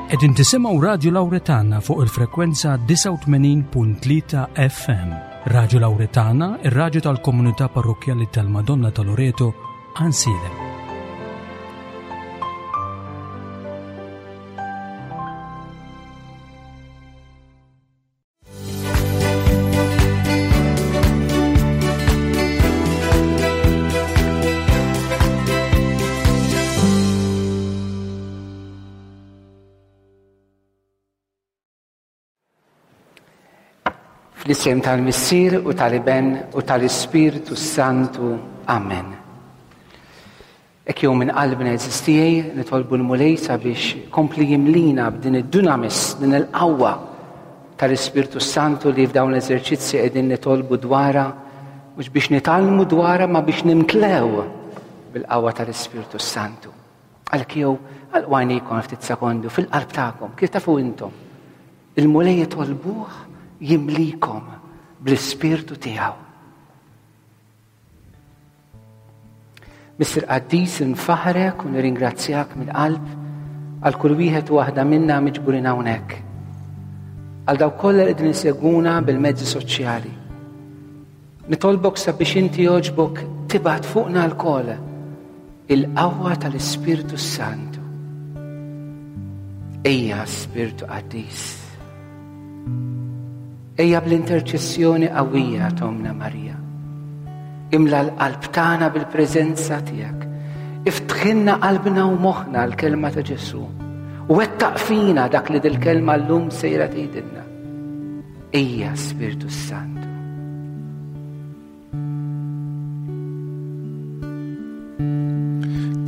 Qegħdin tisimgħu Radju Lawretana fuq il-frekwenza 89.3 FM. Radju Lawretana, ir-radju tal-komunità parrokkjali tal-Madonna ta' Loreto, Għansielem. Fl-isem tal-Missier u tal-Iben u tal-Ispirtu Santu. Amen. Hekk jew minn qalbna għeżież tiegħi nitolbu l-Mulej sabiex kompli jimlina b'din id-dunamis, din il-qawwa tal-Ispirtu Santu li f'dawn l-eżerċizzji qegħdin nitolbu dwarha mhux biex nitgħallmu dwarha ma biex nimtlew bil-qawwa tal-Ispirtu Santu. Għalhekk jew għalqu għajnejkom ftit sekondu fil-qalb tagħkom, kif tafu intom. Il-Mulej jitolbuh jimlikom bl-Ispirtu tiegħu. Missier Qaddis infaħrek u nirringrazzjak mill-qalb għal kull wieħed u waħda minna miġburin hawnhekk. Għal dawk kollha li qegħdin isegwuna bil-mezzi soċjali. Nitolbok sabiex inti jogħġbok tibgħat fuqna lkoll il-qawwa tal-Ispirtu Santu. Ejja Spirtu Qaddis. Ejja bl-interċessjoni qawwija t'Ommna Marija. Imla l-qalb tagħna bil-preżenza tiegħek. Iftħilna qalbna u moħħna l-kelma ta' Ġesù. U wettaq fina dak li dil-kelma llum sejra tgħidilna. Ejja Spirtu Santu.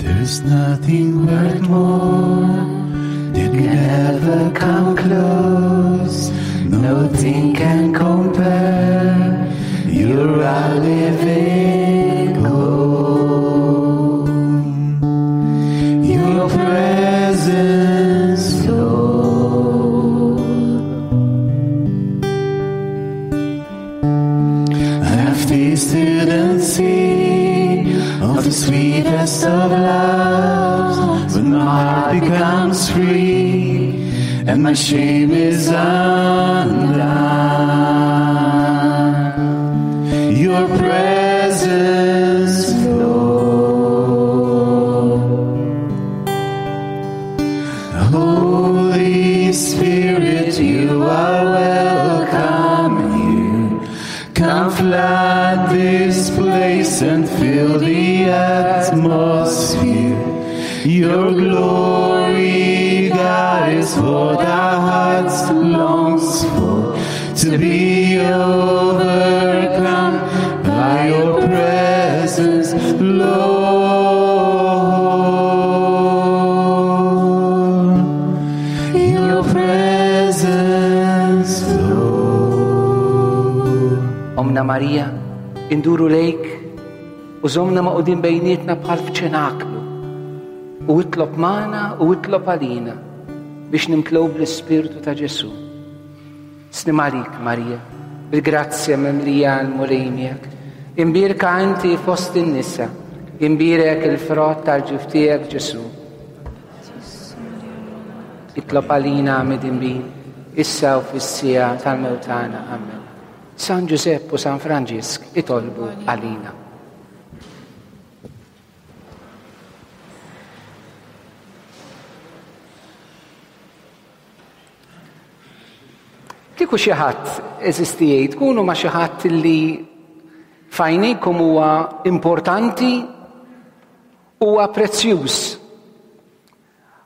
There's nothing worth more that can ever come close. Nothing can compare. You're our living hope. Your presence, Lord. I've tasted and seen of the sweetest of loves when my heart becomes free and my shame is undone. Your presence, Lord. Holy Spirit, you are welcome here. Come flood this place and fill the atmosphere. Your glory, God, is what our hearts longs for. To be overcome by your presence, Lord. Your presence, Lord. Omna Marija, induru lejk u żomna maqudin bejnietna bħal f'ċenaklu. U itlob magħna u itlob għalina biex nimtlew bl-Ispirtu ta' Ġesù. Slim għalik, Marija, bil-grazzja mimlija l-Mulej miegħek. Imbierka inti fost in-nisa, imbierek il-frott tal-ġuf tiegħek Ġesù. Itlob għalina midinbin, issa u fis-siegħa tal-mewt tagħna. Amen. San Ġużepp u San Franġisk itolbu għalina. Kieku xi ħadd eżisti jgħid tkunu ma' xi ħadd li f'għajnejkom huwa importanti huwa prezzjuż.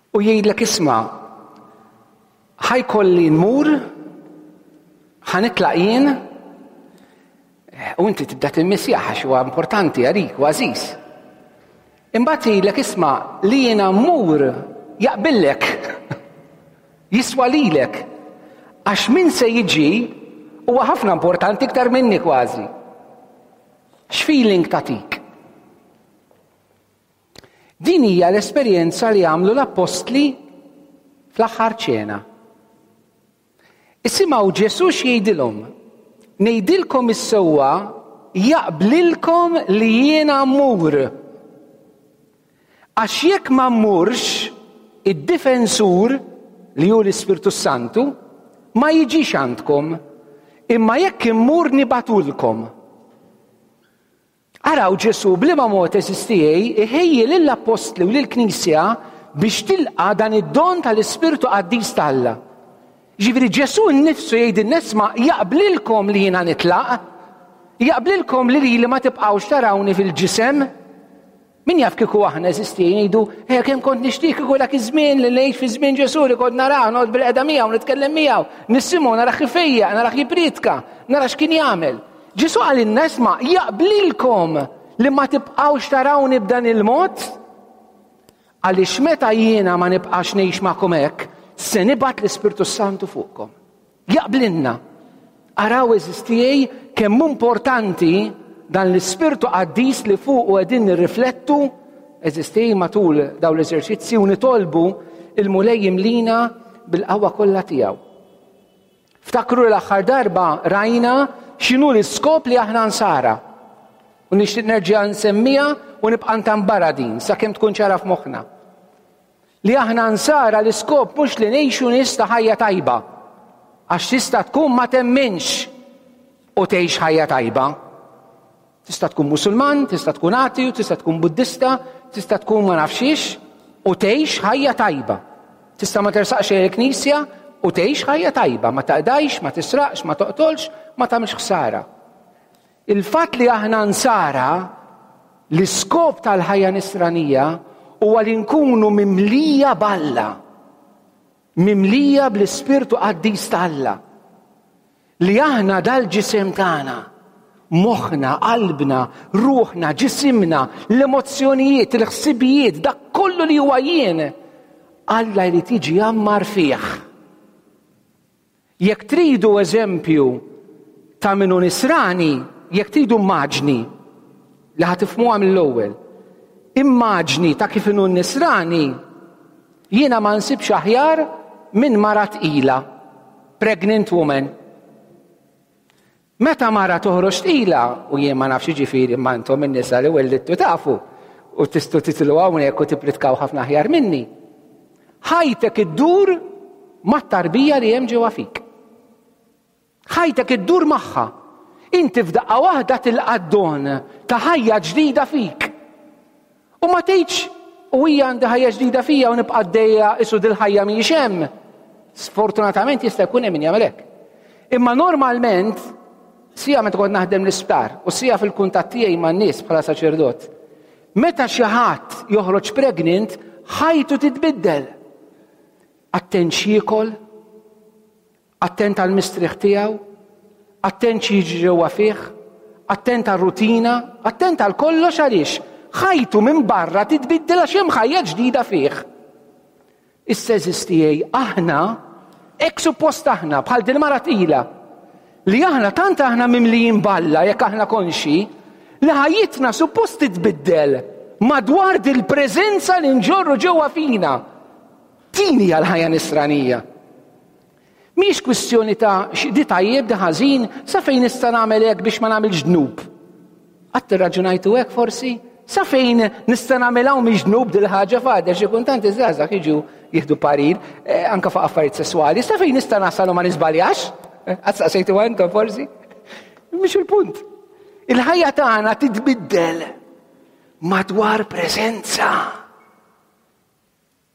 U jgħidlek isma' ħajkolli nmur, ħanitlaq jien, u inti tibda timmissjah għax huwa importanti għalik u għażiż. Imbagħad jgħidlek isma' li jiena mmur jaqbillek. Jiswa lilek. Għax min se jiġi huwa ħafna importanti iktar minni kważi. X'feeling tagħtik? Din hija l-esperjenza li għamlu l-appostli fl-aħħar ċena. Isimgħu Ġesù x'jgħidilhom, Ngħidilkom is-sewwa, jaqblilkom li jiena mmur. Għax jekk ma mmurx, id-difensur, li hu l-Ispirtu Santu, ma jiġix għandkom, imma jekk immur nibatulkom. Araw Ġesù b'liema mod għeżież tiegħi iħejji lill-appostli u lill-Knisja biex tilqa' dan id-don tal-Ispirtu Qaddis ta' Alla. Ġifieri Ġesù nnifsu jgħidilna isma' jaqblilkom li jiena nitlaq, jaqblilkom li lili ma tibqgħux tarawni fil-ġisem. Min jaf kieku aħna għeżież tiegħi ngħidu, eh kemm kont nixtieq kieku dak iż-żmien li ngħix fi żmien Ġesù li kont narah, noqgħod bil-qeda miegħu, nitkellem miegħu, nisimgħu, narah ifejjaq, narah jippriedka, nara x'kien jagħmel. Ġesù qalilna isma' jaqblilkom li ma tibqgħux tarawni b'dan il-mod? Għaliex meta jiena ma nibqax ngħix magħkom hekk, se nibgħat l-Ispirtu Santu fuqkom. Jaqblilna. Araw għeżież tiegħi kemm hu importanti dan l-Ispirtu Qaddis li fuqu qegħdin nirriflettu għeżież tiegħi matul dawn l-eżerċizzi u nitolbu il-Mulej jimlina bil-qawwa kollha tiegħu. Ftakru l-aħħar darba rajna x'inhu l-iskop li aħna nsara. U nixtieq nerġa' nsemmiha u nibqa' ntambarha din sakemm tkun ċara f'moħħna. Li aħna nsara l-iskop mhux li ngħixu nies ta' ħajja tajba. Għax tista' tkun ma temminx u tgħix ħajja tajba. Tista' tkun Musulman, tista' tkun atiju, tista' tkun Buddista, tista' tkun ma nafxiex u tgħix ħajja tajba. Tista' ma tersaqx il-knisja u tgħix ħajja tajba, ma taqdajx, ma tisraqx, ma toqtolx, ma tagħmilx ħsara. Il-fatt li aħna nsara, l-iskop tal-ħajja nisranija huwa li nkunu mimlija b'Alla, mimlija bl-Ispirtu Qaddis t'Alla. Li aħna dal-ġisem tagħna, moħħna, qalbna, ruħna, ġisimna, l-emozzjonijiet, il-ħsibijiet, dak kollu li huwa jien, Alla jrid jiġi jgħammar fih. Jekk tridu eżempju ta' min hu nisrani, jekk tridu immaġni li ħa tifhmuha mill-ewwel, immaġni ta' kif inhu n-nisrani, jiena ma nsibx aħjar minn mara tqila, pregnant woman. Meta mara toħroġ tqila, u jien ma nafx jiġifieri imma intom in-nisa li wellidtu tafu, u tistgħu titilgħu hawnhekk u tippritkaw ħafna aħjar minni, ħajtek iddur mat-tarbija li hemm ġewwa fik. Ħajtek iddur magħha. Inti f'daqqa waħda tilqa' d-don ta' ħajja ġdida fik. U ma tgħidx, u hija għandi ħajja ġdida fija u nibqa' għaddejja isu dil-ħajja mhijiex hemm. Sfortunatament jista' jkun hemm min jagħmel hekk. Imma normalment, sija meta kont naħdem l-isptar u sija fil-kuntatt tiegħi man-nies bħala saċerdot, meta xi ħadd joħroġ pregnant, ħajtu titbiddel. Attent x'jiekol, Attent għall-mistrieħ tiegħu, attent x'jiġri ġewwa fih, attent għar-rutina, attent għal kollox għaliex ħajtu minn barra titbiddel għax hemm ħajja ġdida fih. Issa eżiż tiegħi aħna hekk suppost aħna bħal din mara tqila li aħna tant aħna mimlijin balla jekk aħna konxi li ħajjitna suppost titbiddel madwar dil-preżenza li nġorru ġewwa fina. Din hija l-ħajja nisranija. Mhijiex kwistjoni ta' di tajjeb, di ħażin, sa fejn nista' nagħmel hekk biex ma nagħmilx dnub. Qatt irraġunajtu hekk forsi? Sa fejn nista' nagħmel hawn mhix dnub dil-ħaġa fadel xi kultant iż-żgħażagħ jiġu jieħdu parir eh, anke fuq affarijiet sesswali, sa fejn nista' nasal u ma niżbaljax? Eh, qatt saqsejtu intom forsi? Mhix il-punt. Il-ħajja tagħna titbiddel madwar preżenza.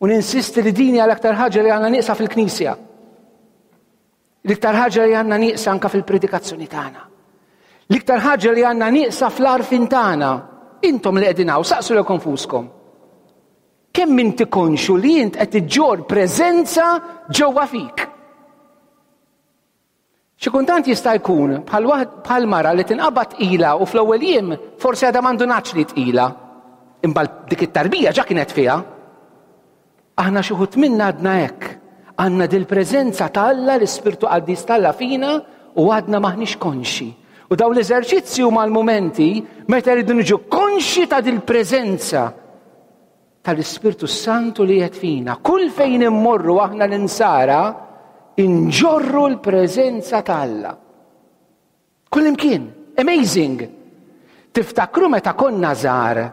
U ninsisti li din hija l-aktar ħaġa li għandna nieqsa fil-Knisja. L-iktar ħaġa li għandna nieqsa anka fil-predikazzjoni tagħna. L-iktar ħaġa li għandna nieqsa fl-arfin tagħna. Intom li qegħdin hawn, saqsu lilkom fuskom. Kemm inti konxu li int qed iġġor preżenza ġewwa fik? Xi kultant jista' jkun bħal mara li tinqabad tqila u fl-ewwel jiem forsi għadha ma ndunatx li tqila. Imma dik it-tarbija ġa kienet fiha. Aħna xi wħud minna għadna hekk. Għandna dil-preżenza ta' Alla, l-Ispirtu Qaddis t'Alla fina u għadna m'aħniex konxi. U dawn l-eżerċizzji huma l-mumenti meta rridu niġu konxi ta' dil-preżenza tal-Ispirtu Santu li qed fina. Kull fejn immorru aħna l-insara inġorru l-preżenza ta' Alla. Kull imkien. Amazing! Tiftakru meta konna żgħar,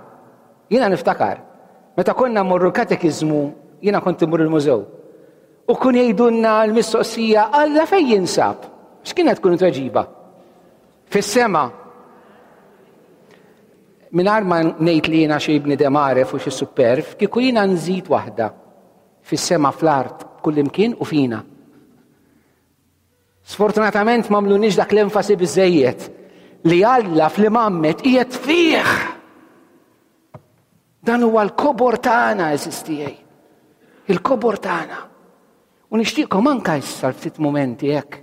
jiena niftakar, meta konna mmorru l-katekiżmu, jiena kont immur il-mużew. U kun jgħidulna l-mistoqsija Alla fejn jinsab? X'kienet tkun it-tweġiba? Fis-sema. Mingħajr ma ngħid li jiena xi bniedem għaref u xi superf, kieku jiena nżid waħda fis-sema fl-art kullimkien u fina. Sfortunatament m'għamluniex dak l-enfasi biżejjed li Alla fl-imammet qiegħed fih. Dan huwa l-kobor tagħna, eżis tiegħi. Il-kobor tagħna. U nixtieqkom anka issa ftit mumenti hekk.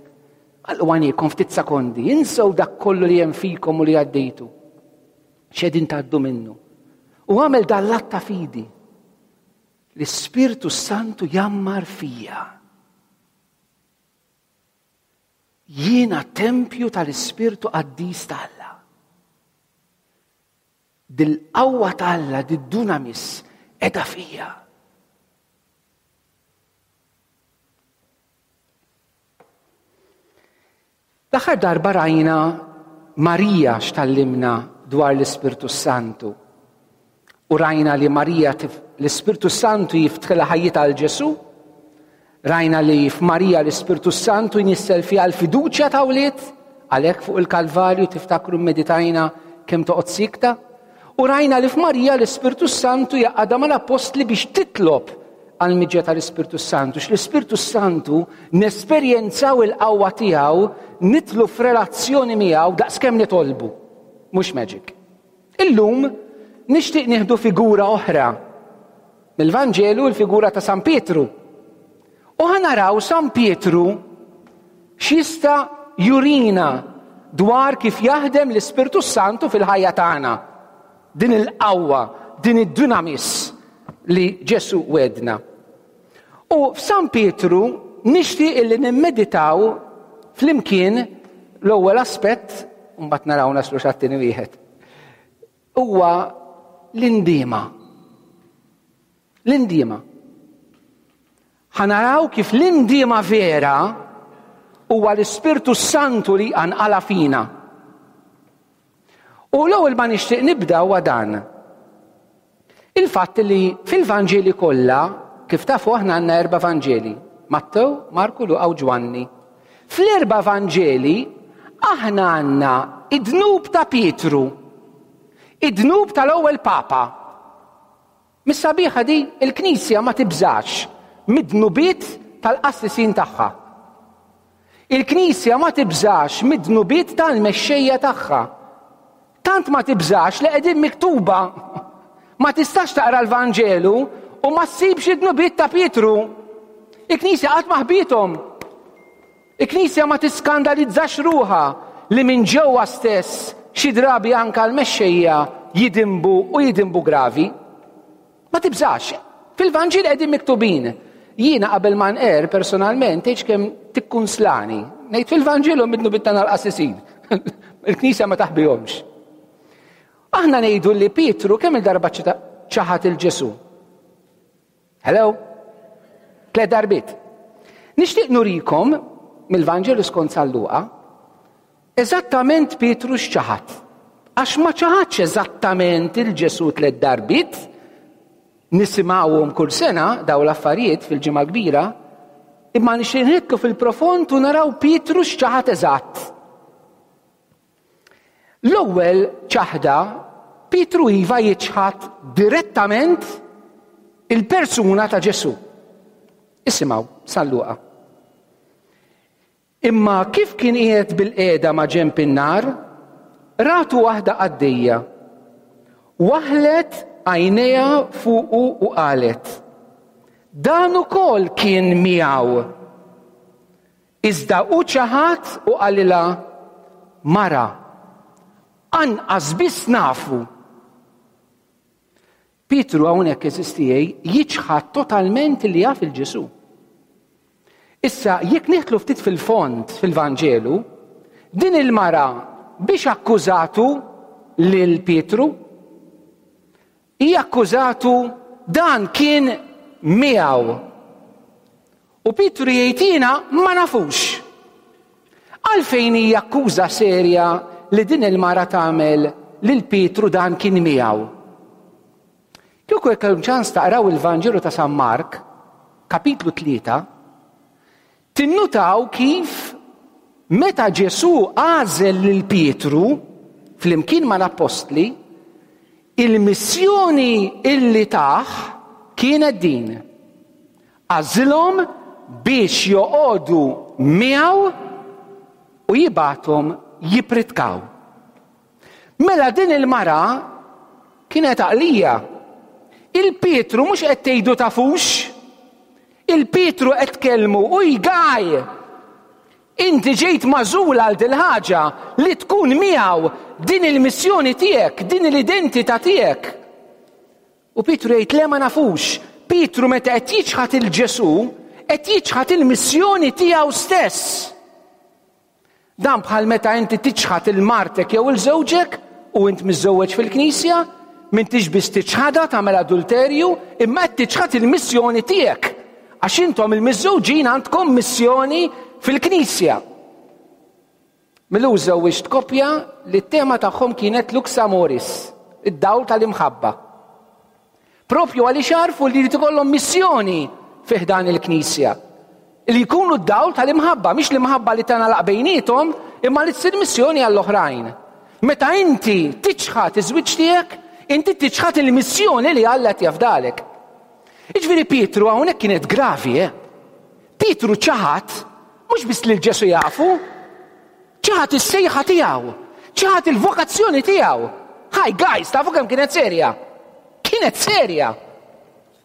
Għalqu għajnejkom ftit sekondi, insew dak kollu li hemm fikom u li għaddejtu. X'qegħdin tgħaddu minnu. U għamel dan l-att ta' fidi. L-Ispirtu Santu jammar fija. Jiena tempju tal-Ispirtu Qaddis ta' Alla. Dil-qawwa ta' Alla, did-dunamis, edha fija. L-aħħar darba rajna Marija x'tallimna dwar l-Ispirtu Santu. U rajna li Marija l-Ispirtu Santu jiftħilha ħajjitha għal Ġesù. Rajna li f'Marija l-Ispirtu Santu jnissel fiha l-fiduċja ta' wlied, għalhekk fuq il-Kalvarju tiftakru mmeditajna kemm toqgħod sikta. U rajna li f'Marija l-Ispirtu Santu jaqgħadha mal-appostli biex titlob għall-miġja tal-Ispirtu Santu. X-l-Ispirtu Santu nesperjenzaw il-qawwa tiegħu, nitlu f'relazzjoni miegħu daqskemm nitolbu. Mhux magic. Illum nixtieq nieħdu figura oħra mill-Vanġelu l-figura ta' San Pietru. U ħanaraw San Pietru x'jista' jurina dwar kif jaħdem l-Ispirtu Santu fil-ħajja tagħna. Din il-qawwa, din id-dunamis li Ġesu wedna. U f'San Pietru nixtieq illi nimmeditaw flimkien l-ewwel aspett, mbagħad naraw naslu x'għat-tieni wieħed. Huwa l-indiema. L-indiema. Ħa naraw kif l-indiema vera huwa l-Ispirtu Santu li jqanqalha fina. U l-ewwel ma nixtieq nibda huwa dan. Il-fatt li fil-Vanġeli kollha, kif tafu aħna għandna erba' Vanġeli, Mattew, Marku, Luqa u Ġwanni. Fl-erba' Vanġeli aħna għandna id-dnub ta' Pietru, id-dnub tal-ewwel Papa. Mis-sabiħa di, il-Knisja ma tibżax mid-dnubiet tal-qassisin tagħha. Il-Knisja ma tibżax mid-dnubiet tal-mexxejja tagħha. Tant ma tibżax li qegħdin miktuba. Ma tistax taqra l-Vanġelu u ma ssibx id-dnubiet ta' Pietru. Il-Knisja qatt ma ħbiethom. Il-Knisja ma tiskandalizzax ruħha li minn ġewwa stess xi drabi anke l-mexxejja jidinbu u jidinbu gravi. Ma tibżax. Fil-Vanġel qegħdin miktubin. Jiena qabel ma nqer personalment tgħidx kemm tikkunslani. Ngħid fil-Vanġelu midnu tagħna l-qassisin. Il-Knisja ma taħbihomx. Aħna ngħidu li Pietru kemm il-darba ċaħat il-Ġesu. Hello? Tlet darbiet. Nixtieq nurikom mill-Vanġelu skont San Luqa eżattament Pietru x'ċaħad. Għax ma ċaħadx eżattament il-Ġesu tlet darbiet, nisimgħuhom kull sena daw l-affarijiet fil-ġimgħa kbira, imma nixtieq nidħlu fil-profond u naraw Pietru x'ċaħad eżatt. L-ewwel ċaħda, Pietru iva jiċħad direttament il-persuna ta' Ġesù. Isimgħu, San Luqa. Imma kif kien qiegħed bil-qiegħda ma' ġenb in-nar, ratu waħda qaddejja. Waħlet għajnejha fuqu u qalet, Dan ukoll kien miegħu. Iżda hu ċaħad u qalilha, Mara, anqas biss nafu. Pietru hawnhekk għeżież tiegħi jiċħad totalment li jaf il-Ġesù. Issa, jekk nidħlu ftit fil-fond fil-Vanġelu, din il-mara biex akkużatu lil Pietru? Hi akkużatu dan kien miegħu. U Pietru jgħid jiena ma nafux. Għalfejn hija akkuża serja li din il-mara tagħmel lil Pietru dan kien miegħu? Kieku jekk ċans taqraw il-Vanġelu ta' San Mark, kapitlu 3, Tinnutaw kif meta Ġesù għażel lil Pietru flimkien mal-appostli, il-missjoni illi tah kienet din. Għażilhom biex joqogħdu miegħu u jibgħathom jippritkaw. Mela din il-mara kienet għaqlija. Il-Pietru mhux qed tgħidu tafux. Il-Pietru qed tkellmu u jgaj. Inti ġejt magħżul għal dil-ħaġa li tkun miegħu din il-missjoni tiegħek, din l-identità tiegħek. U Pietru jgħid le ma nafux. Pietru meta qed jiċħad il-Ġesù, qed jiċħad il-missjoni tiegħu stess. Dan bħal meta inti tiċħad il-martek jew il-żewġek u int miżżewweġ fil-knisja, m'intix biss tiċħadha tagħmel adulterju, imma qed tiċħad il-missjoni tiegħek. Għax intom il-miżżewġin għandkom missjoni fil-knisja. Mill-ewwel żewwiġt koppja li t-tema tagħhom kienet Lux Amoris, id-dawl tal-imħabba. Propju għaliex għarfu li jrid ikollhom missjoni fi ħdan il-Knisja. Li jkunu d-dawl tal-imħabba, mhix l-imħabba li tagħlaq bejniethom, imma li tsir missjoni għall-oħrajn. Meta inti tiċħad iż-żwieġ tiegħek, inti tiċħad il-missjoni li Alla qed jafdalek. Jiġifieri Pietru hawnhekk kienet gravi, eh? Pietru ċaħad mhux biss lil Ġesu jafu, ċaħad is-sejħa tiegħu, ċaħad il-vokazzjoni tiegħu. Hi guys, tafu kemm kienet serja? Kienet serja.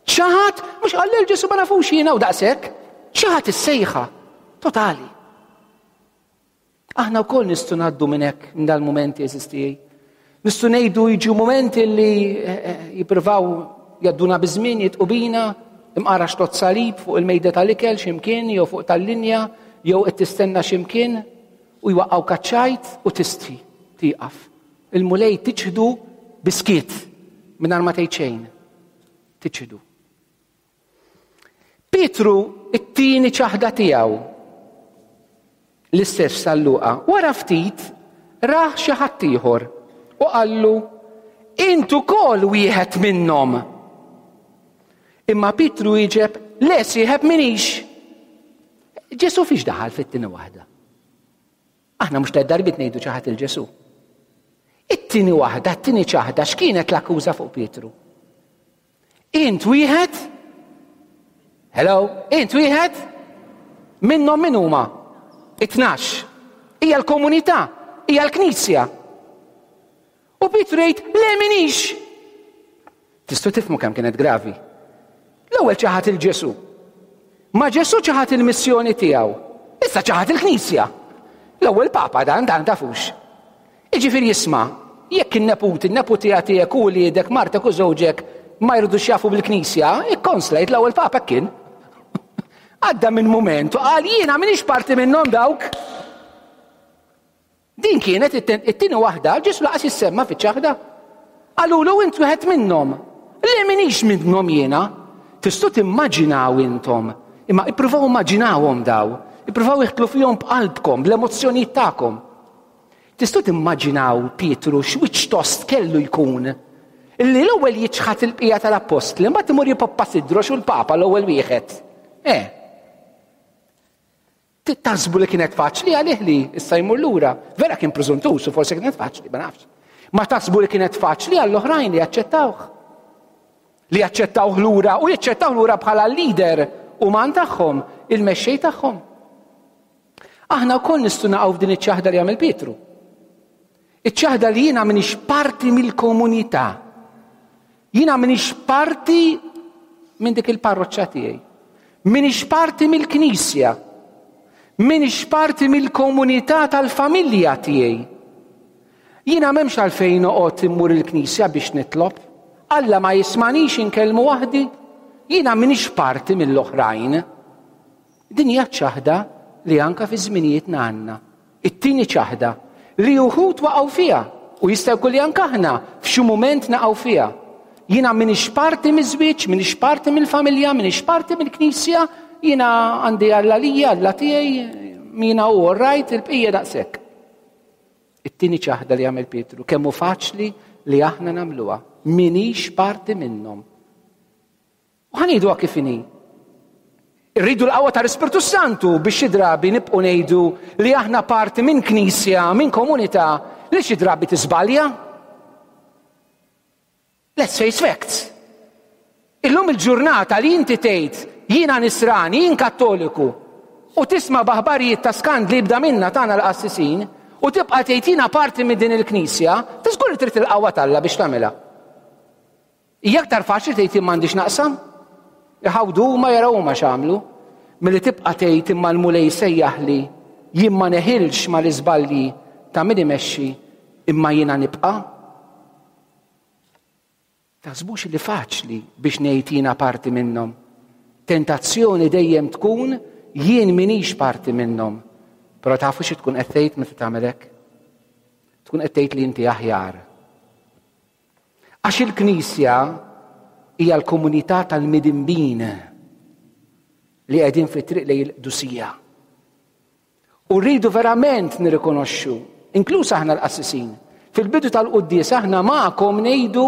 ċaħad, mhux qal lil Ġesu ma nafux jiena u daqshekk, ċaħad is-sejħa totali. Aħna wkoll nistgħu ngħaddu minn hekk minn dal-mumenti eżistijaj. Nistgħu ngħidu jiġu mumenti li eh, eh, jippruvaw jadduna biż-żmien jitqubina, imqara xtot salib fuq il-mejda tal-ikel x'imkien jew fuq tal-linja jew qed tistenna x'imkien u jwaqqgħu kaċċajt u tistħi tieqaf. Il-Mulej tiċħdu biskiet mingħajr ma tgħid xejn. Tiċħdu. Pietru it-tieni ċaħda tiegħu l-istess San Luqa, wara ftit rah xi ħadd ieħor u qallu int ukoll wieħed minnhom. Imma Pietru wieġeb le sieħeb minix. Ġesu fiex daħal fit-tieni waħda? Aħna mhux tliet darbiet ngħidu ċaħad il-Ġesu. It-tieni waħda, it-tieni ċaħda, x'kienet l-akkuża fuq Pietru? Int wieħed? Hello, int wieħed? Minnhom min huma? It-tnax. Hija l-komunità, hija l-knisja. U Pietru jgħid, le minix. Tistgħu tifhmu kemm kienet gravi. L-ewwel ċaħad il-Ġesu. Ma Ġesu ċaħad il-missjoni tiegħu. Issa ċaħad il-Knisja. L-ewwel Papa dan dan tafux. Jiġifieri isma', jekk in-neputi, in-neputija tiegħek u wliedek, martek u żewġek ma jridux jafu bil-Knisja, ikkonslajt l-ewwel Papa hekk kien. Għadda minn mument u qal jiena m'iniex parti minnhom dawk. Din kienet it-tieni waħda, Ġesu laqas jissemma fiċ-ċaħda. Qalulu int wieħed minnhom. Le m'iniex minnhom jiena. Tistgħu timmaġinaw intom, imma ippruvaw immaġinawhom daw, ippruvaw iħtlu fihom b'qalbkom, bl-emozzjonijiet tagħkom. Tistgħu timmaġinaw Pietru x'wiċċ tost kellu jkun li l-ewwel jiċħad il-bqija tal-appostli, mbagħad imur jipoppa sidru xu l-Papa l-ewwel wieħed. Eh. Taħsbu li kienet faċli għalih li issa jmur lura. Vera kien preżuntus u forsi kienet faċli, ma nafx. Ma taħsbu li kienet faċli għall-oħrajn li jaċċettawh. Li jaċċettawh lura u jaċċettawh lura bħala l-leader uman tagħhom, il-mexxej tagħhom. Aħna wkoll nistgħu naqgħu f'din iċ-ċaħda li għamel Pietru. Iċ-ċaħda li jiena m'iniex parti mill-komunità. Jiena m'iniex parti minn dik il-parroċċa tiegħi. M'iniex parti mill-knisja. M'iniex parti mill-komunità tal-familja tiegħi. Jiena m'hemmx għalfejn noqgħod immur il-knisja biex nitlob. Alla ma jismanix inkellmu waħdi. Jiena m'iniex parti mill-oħrajn. Din hija ċ-ċaħda li anke fi żminijietna għandna. It-tieni ċaħda li uħud waqgħu fiha u jista' jkun li anke aħna f'xi mument naqgħu fiha. Jiena m'iniex parti miż-żwieġ, m'iniex parti mill-familja, m'iniex parti mill-knisja, jiena għandi Alla lija, Alla tiegħi, jiena hu all right, il-bqija daqshekk. It-tieni ċaħda li għamel Pietru, kemm hu faċli li aħna nagħmluha, m'iniex parti minnhom. U ħa ngħiduha kif inhi. Irridu l-qawwa tal-Ispirtu Santu biex xi drabi nibqgħu ngħidu li aħna parti minn knisja, minn komunità li xi drabi tiżbalja. Let's face facts. Illum il-ġurnata li inti tgħid jiena nisrani, jien kattoliku, u tisma' b'aħbarijiet ta' skandli jibda minna tagħna l-qassisin, u tibqa' tgħid jiena parti minn din il-knisja, tiżgur li trid il-qawwa t'Alla biex tagħmilha. Hija aktar faċli tgħid jien m'għandix naqsam. Iħawdu huma jaraw huma x'għamlu. Milli tibqa' tgħid imma l-Mulej sejjaħli jien ma neħilx mal-iżbalji ta' min imexxi imma jiena nibqa'. Taħsbux li faċli biex ngħid jiena parti minnhom. Tentazzjoni dejjem tkun jien minix parti minnhom. Però tafu xi tkun qed tgħid meta tagħmel hekk? Tkun qed tgħid li inti aħjar. Għax il-Knisja hija l-komunità tal-midinbin li qegħdin fit-triq lejn il-qdusija. U rridu verament nirrikonoxxu, inkluż aħna l-qassisin, fil-bidu tal-quddies aħna magħkom ngħidu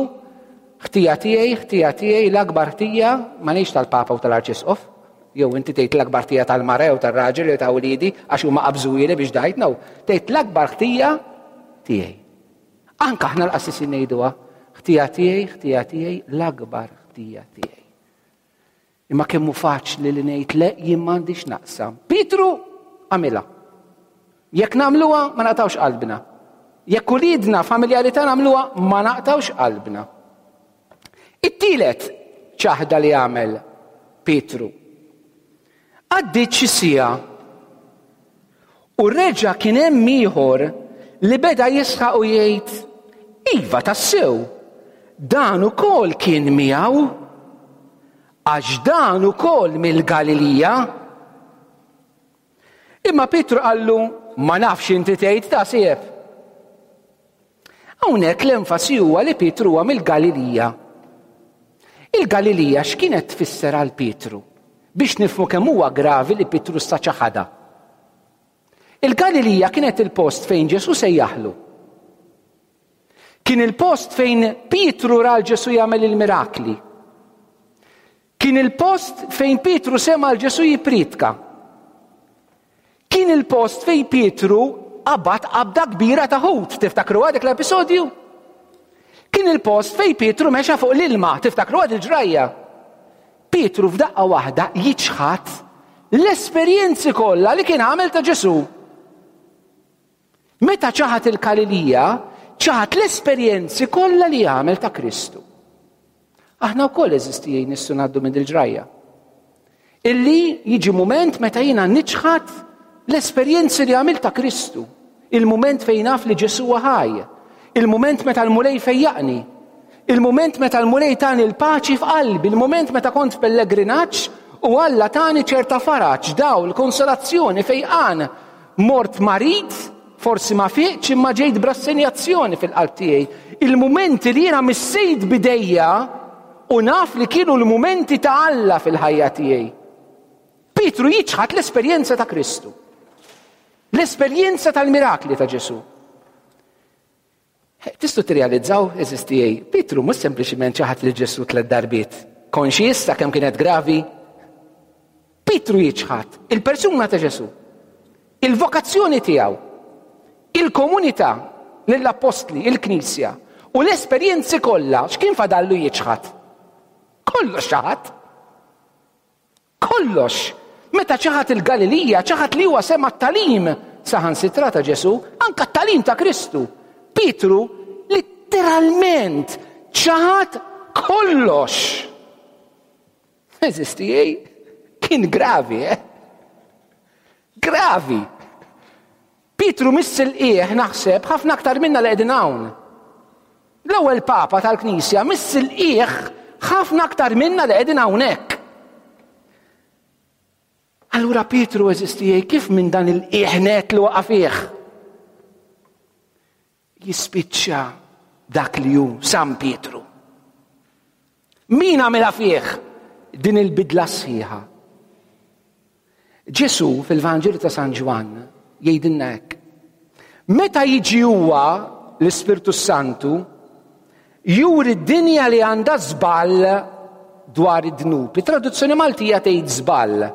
ħtija tiegħi, ħtija tiegħi, l-akbar ħtija ma ngħidx tal-Papa u tal-Arċisqof, jew inti tgħid l-akbar ħtija tal-mara jew tar-raġel jew ta' wliedi għax huma qabżuhieli biex dajt, no, tgħid l-akbar ħtija tiegħi. Anke aħna l-qassisin ngħiduha, ħtija tiegħi, ħtija tiegħi, l-akbar ħtija tiegħi. Imma kemm hu faċli li ngħid le jien m'għandix naqsam. Pietru għamilha. Jekk nagħmluha ma naqtawx qalbna. Jekk uliedna familjarità nagħmluha ma naqtawx qalbna. It-tielet ċaħda li għamel Pietru. Għaddiet xi siegħa u reġa' kien hemm ieħor li beda jisħaq u jgħid, Iva tassew, dan ukoll kien miegħu, għax dan ukoll mill-Galilija. Imma Pietru qallu, Ma nafx inti tgħid ta' sieb. Hawnhekk l-enfasi huwa li Pietru huwa mill-Galilija. Il-Galilija x'kienet tfisser għal Pietru? Biex nifhmu kemm huwa gravi li Pietru sa ċaħadha. Il-Galilija kienet il-post fejn Ġesù sejjaħlu. Kien il-post fejn Pietru ra l Ġesù jagħmel il-mirakli. Kien il-post fejn Pietru sema' 'l Ġesù jippriedka. Kien il-post fejn Pietru qabad qabda kbira ta' ħut, tiftakruha dik l-episodju? Kien il-post fejn Pietru mexa fuq l-ilma, tiftakruha dil-ġrajja? Pietru f'daqqa waħda jiċħad l-esperjenzi kollha li kien għamel ta' Ġesù. Meta ċaħad il-Galilija, ċaħad l-esperjenzi kollha li għamel ta' Kristu. Aħna wkoll eżistijaj nistgħu ngħaddu minn il-ġrajja. Illi jiġi mument meta jiena niċħad l-esperjenzi li għamil ta' Kristu. Il-mument fejn naf li Ġesu ħaj. Il-mument meta l-Mulej fejjaqni. Il-mument meta l-Mulej tani l-paċi f'qalbi, il-mument meta kont f'pellegrinaġġ u Alla tani ċerta faraġ, dawl, konsolazzjoni, fejqan. Mort marid, forsi ma fiqtx imma ġejt b'rassenjazzjoni fil-qalb tiegħi. Il-mumenti li jiena missejt b'idejja u naf li kienu l-mumenti ta' Alla fil-ħajja tiegħi. Pietru jiċħad l-esperjenza ta' Kristu. L-esperjenza tal-mirakli ta' Ġesu. Tistgħu tirrealizzaw, għeżież tiegħi, Pietru mhux sempliċiment ċaħad lil Ġesù tlet darbiet. Konxi issa kemm kienet gravi? Pietru jiċħad il-persuna ta' Ġesù, il-vokazzjoni tiegħu, il-komunità lill-appostli, il-Knisja u l-esperjenzi kollha x'kien fadallu jiċħad? Kollox ċaħad. Kollox! Meta ċaħad il-Galilija, ċaħad li huwa sema' t-tagħlim saħansitra ta' Ġesù, anke t-tagħlim ta' Kristu. Pietru litteralment ċaħad kollox. Għeżież tiegħi, kien gravi, eh? Gravi! Pietru miss il-qiegħ naħseb ħafna aktar minna li qegħdin hawn. L-ewwel Papa tal-Knisja miss il-qiegħ ħafna aktar minna li qegħdin hawnhekk. Allura Pietru eżisti kif minn dan il-qiegħ net li waqa' fih? Jispiċċa dak li hu San Pietru. Min għamilha fih din il-bidla sħiħa? Ġesù fil-Vanġelu ta' San Ġwann jgħidilna hekk. Meta jiġi huwa l-Ispirtu Santu, juri d-dinja li għandha żball dwar id-dnub. It-traduzzjoni Maltija tgħid żball.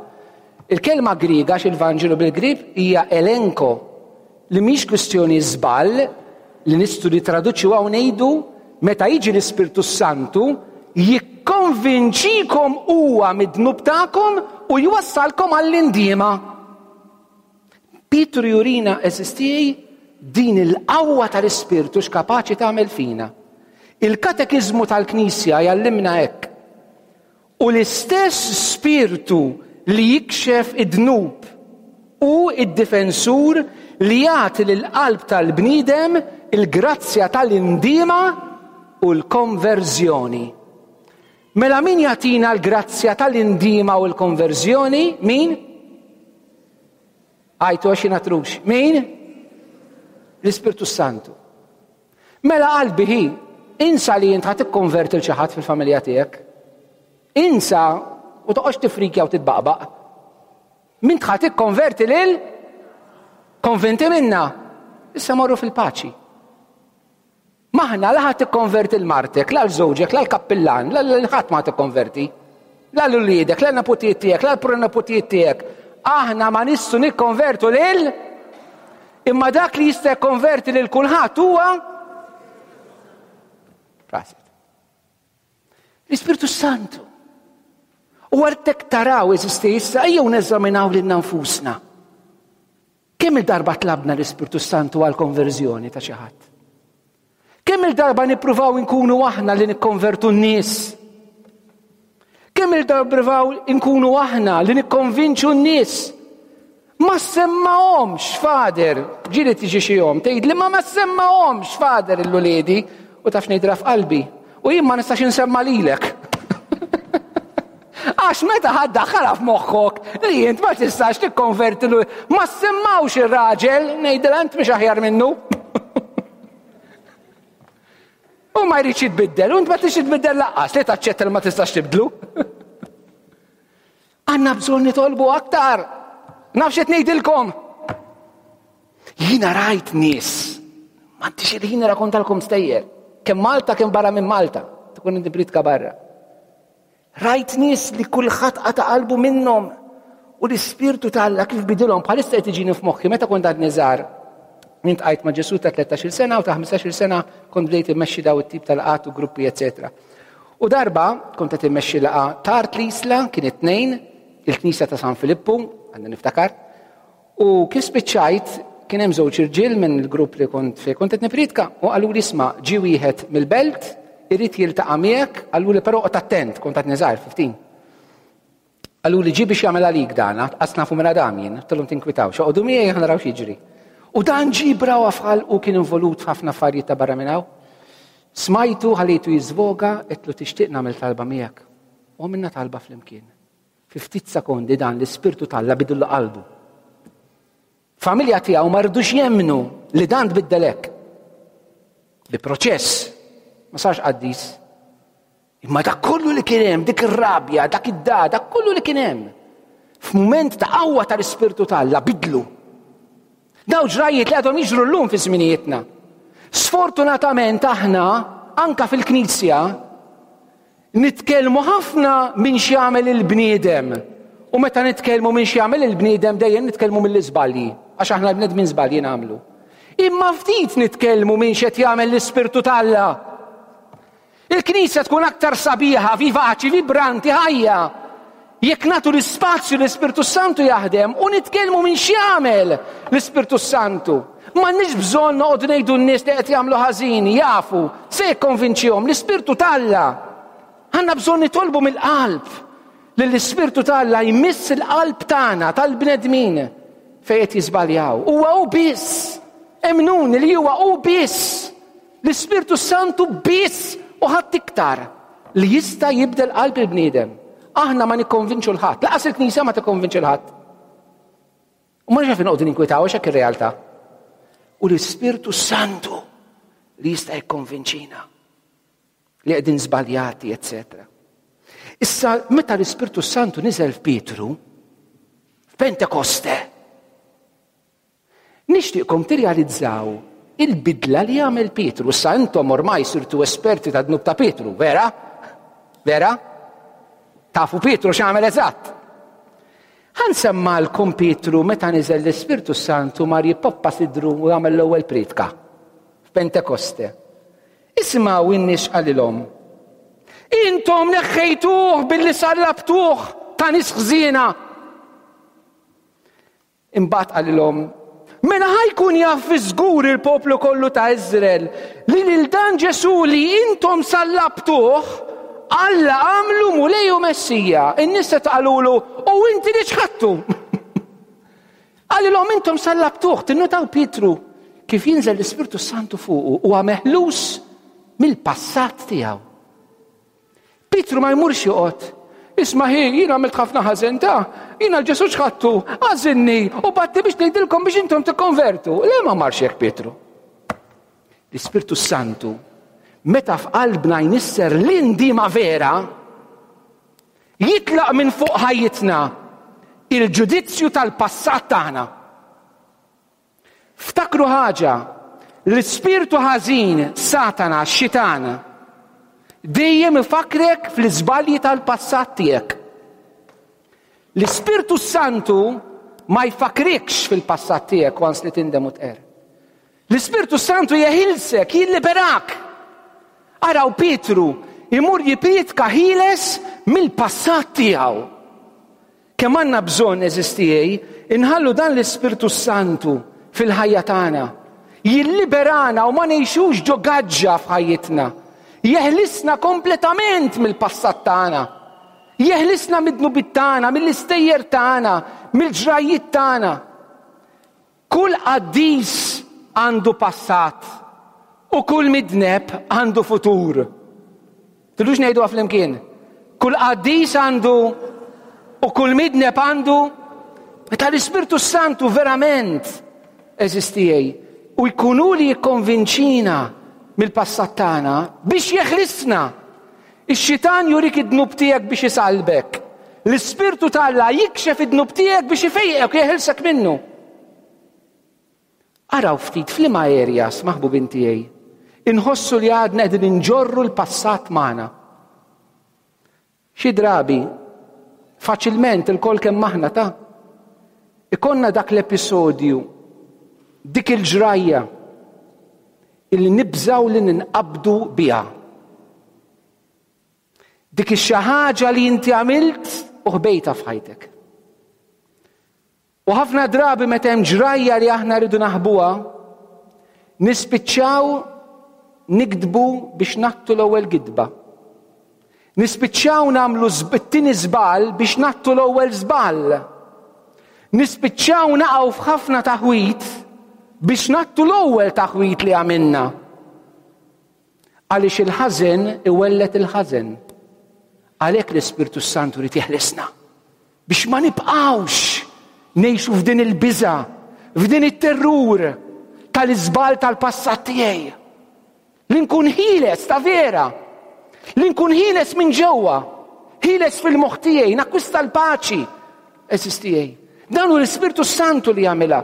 Il-kelma Griega għax il-Vanġelu bil-Grieg hija elenko li mhix kwistjoni żball li nistgħu nittraduċuha u ngħidu meta jiġi l-Ispirtu Santu jikkonvinċikom huwa mid-dnub tagħkom u jwassalkom għall-indiema. Pietru jurina eżistijaj din il-qawwa tal-Ispirtu x'kapaċi tagħmel fina. Il-katekiżmu tal-Knisja jgħallimna hekk. U l-istess Spirtu li jikxef id-dnub hu d-difensur li jagħti lill-qalb tal-bniedem il-grazzja tal-indiema u l-konverżjoni. Mela min jagħtina l-grazzja tal-indiema u l-konverżjoni? Min? Għajtu għax jiena trux. Min? L-Ispirtu Santu. Mela qalbi hi, insa li int ħa tikkonverti 'l xi ħadd fil-familja tiegħek. Insa u toqgħodx tifrikja u titbaqbaq. M'int ħa tikkonverti lil konvinti minna. Issa morru fil-paċi. M'aħna la ħa tikkonverti 'l martek, la 'l żewġek, la l-kappillan, la 'l ħadd ma tikkonverti. La 'l uliedek, la l-neputijiet tiegħek, la l-proneputijiet tiegħek. Aħna ma nistgħu nikkonvertu lil Imma dak li jista' jikkonverti lil kulħadd huwa Prosit. L-Ispirtu Santu. U għartek taraw eżisti issa ejjew neżaminaw lilna nfusna. Kemm il-darba tlabna l-Ispirtu Santu għal konverżjoni ta' xi ħadd? Kemm il-darba nippruvaw inkunu aħna li nikkonvertu n-nies? Kemm il-darba nippruvaw inkunu aħna li nikkonvinċu n-nies? Ma semmahomx, fader, ġieli tiġi xi jom, tgħid li ma ma semmahomx, fader l-uliedi, u taf ngħidra f'qalbi. U jien ma nistax insemma lilek. Għax meta ħadd daħħalha f'moħħok li int ma tistax tikkonverti l ma semmawx ir-raġel, ngħidilha int mhix aħjar minnu. U ma jridx jitbiddel, u int ma tistax titbiddel laqqas li taċċetta li ma tistax tibdlu. Għandna bżonn nitolbu aktar. Naf xi ngħidilkom. Jiena rajt nies, m'għandix il-ħin nirrakkontalkom stejjer, kemm Malta kemm barra minn Malta, tkun inti britka barra. Rajt nies li kulħadd qata' qalbu minnhom u l-Ispirtu ta' Alla kif bidilhom bħalissa qed iġini f'moħħi meta kont għadni żgħar. Intqajt ma' Ġesù ta' 13-il sena u ta' 15-il sena kont bdejt immexxi daw it-tip tal-qat u gruppi eċetera. U darba kont qed immexxi laqgħa tard l-Isla kien it-tnejn il-Knisja ta' San Filippu, għandna niftakar, U kif spiċċajt, kien hemm żewġ irġiel minn il-grupp li kont fejn kont qed nippriedka u qaluli isma' ġie wieħed mill-belt irid jiltaqa' miegħek, qaluli però oqgħod attent, kont għadni żgħir 15. Qaluli ġie biex jagħmel għalik dan, qas nafu minn Adam jien, għedtilhom tinkwitawx, oqogħdu miegħi aħna naraw x'jiġri. U dan ġie brawa f'ħalqu kien involut f'ħafna affarijiet ta' barra minn hawn. Smajtu ħallejtu jiżvoga, għedtlu tixtieq nagħmel talba miegħek. U għamilna talba flimkien. Fi ftit sekondi dan l-Ispirtu t'Alla bidillu qalbu. Familja tiegħu ma rridux jemmnu li dan tbiddel hekk. Bi proċess, ma sarx qaddis. Imma dak kollu li kien hemm, dik ir-rabja, dak id-da, dak kollu li kien hemm. F'mument ta' qawwa tal-Ispirtu t'Alla bidlu. Daw ġrajiet li għadhom jiġru llum fi żminijietna. Sfortunatament aħna anka fil-Knisja Nitkellmu ħafna minn x'jagħmel il-bniedem. U meta nitkellmu minn x'jagħmel il-bniedem dejjem nitkellmu mill-iżbalji, għax aħna l-bnedmin żbalji nagħmlu. Imma ftit nitkellmu minn x'qed jagħmel l-Ispirtu t'Alla. Il-Knisja tkun aktar sabiħa, vivaċi, vibranti, ħajja. Jekk nagħtu l-ispazju l-Ispirtu Santu jaħdem u nitkellmu minn x'jagħmel l-Ispirtu Santu. M'għandniex bżonn noqogħdu ngħidu n-nies li qed jagħmlu ħażin, jafu, se jikkonvinċihom l-Ispirtu t'Alla. Għandna bżonn nitolbu mill-qalb li l-Ispirtu t'Alla jmiss il-qalb tagħna tal-bnedmin fejn qed jiżbaljaw. Huwa hu biss. Emnuni li huwa hu biss. L-Ispirtu Santu biss u ħadd iktar li jista' jibdel qalb il-bniedem. Aħna ma nikkonvinċu l-ħadd, laqas il-Knisja ma tikkonvinċi l-ħadd. U ma nafx noqogħdu ninkwitaw għax hekk ir-realtà. U l-Ispirtu Santu li jista' jikkonvinċina li qegħdin żbaljati, eccetera. Issa, meta l-Ispirtu Santu niżel f'Pietru, f'Pentekoste, Nixtieqkom tirrealizzaw il-bidla li għamel Pietru. Issa intom ormai sirtu esperti ta' dnub ta' Pietru, vera? Vera? Tafu Pietru x'għamel eżatt. Ħa nsemmgħalkom Pietru meta niżel l-Ispirtu s-Santu mar jippoppa sidru u għamel l-ewwel prietka f'Pentekoste. Isimgħu in-nies x'qalilhom. Intom neħħejtuh billi sallabtuh ta' nies ħżiena. Imbagħad qalilhom, Mela ħa jkun jaf fi żgur il-poplu kollu ta' Iżrael li lil dan Ġesù li intom sallabtuh, Alla għamlu Mulej u Messija. In-nies se qalulu, u inti li ċħadtu. Qalilhom intom sallabtuh, tinnutaw Pietru kif jinżel l-Ispirtu Santu fuqu huwa meħlus mill-passat tiegħu. Pietru ma jmurx joqgħod. Isma' hi, jien għamilt ħafna ħażen ta' jiena l-Ġesù ċħadtu, għażilni u batti biex ngħidilkom biex intom tikkonvertu. Le ma marx hekk Pietru. L-Ispirtu Santu meta f'qalbna jnisser l-indiema vera, jitlaq minn fuq ħajjitna il-ġudizzju tal-passat tagħna. Ftakru ħaġa, l-ispirtu ħażin, Satana, x-xitan, dejjem ifakkrek fl-iżbalji tal-passat tiegħek. L-Ispirtu Santu ma jfakkrikx fil-passat tiegħek once li tindem u tqerr. L-Ispirtu Santu jeħilsek, jilliberak. Araw Pietru imur jiprietka ħieles mill-passat tiegħu. Kemm għandna bżonn, għeżież tiegħi, inħallu dan l-Ispirtu s-Santu fil-ħajja tagħna. Jilliberana u ma ngħixux ġo gaġġa f'ħajjitna. Jeħlisna kompletament mill-passat tagħna. Jeħlisna mid-dnubiet tagħna, mill-istejjer tagħna, mill-ġrajjiet tagħna. Kull qaddis għandu passat u kull midneb għandu futur. Tridux ngħiduha flimkien? Kull qaddis għandu u kull midneb għandu meta l-Ispirtu Santu verament eżistijej u jkunu li jikkonvinċina mill-passat tagħna biex jeħlisna. Ix-xitan jurik id-dnub tiegħek biex isallbek. L-Ispirtu t'Alla jikxef id-dnub tiegħek biex ifejqek u jeħilsek minnu. Araw ftit f'liema areas, maħbubin tiegħi, inħossu li għadna qegħdin inġorru l-passat magħna. Xi drabi, faċilment ilkoll kemm aħna ta' ikollna dak l-episodju, dik il-ġrajja illi nibżgħu li ninqabdu biha. Dik ix-xi ħaġa li inti għamilt u ħbejta f'ħajtek. U ħafna drabi meta hemm ġrajja li aħna rridu naħbuha, nispiċċaw nikdbu biex nattu l-ewwel gidba. Nispiċċaw nagħmlu it-tieni żball biex nattu l-ewwel żball. Nispiċċaw naqgħu f'ħafna taħwit biex nattu l-ewwel taħwit li għamilna. Għaliex il-ħażen iwelled il-ħażen. Għalhekk l-Ispirtu Santu rid jeħlisna. Biex ma nibqgħux ngħixu f'din il-biża, f'din it-terrur tal-iżball tal-passat tiegħi. Li nkun ħieles ta' vera. Li nkun ħieles minn ġewwa. Ħieles fil-moħħ tiegħi, nakkwista l-paċi. Eżis tiegħi. Dan hu l-Ispirtu Santu li jagħmilha.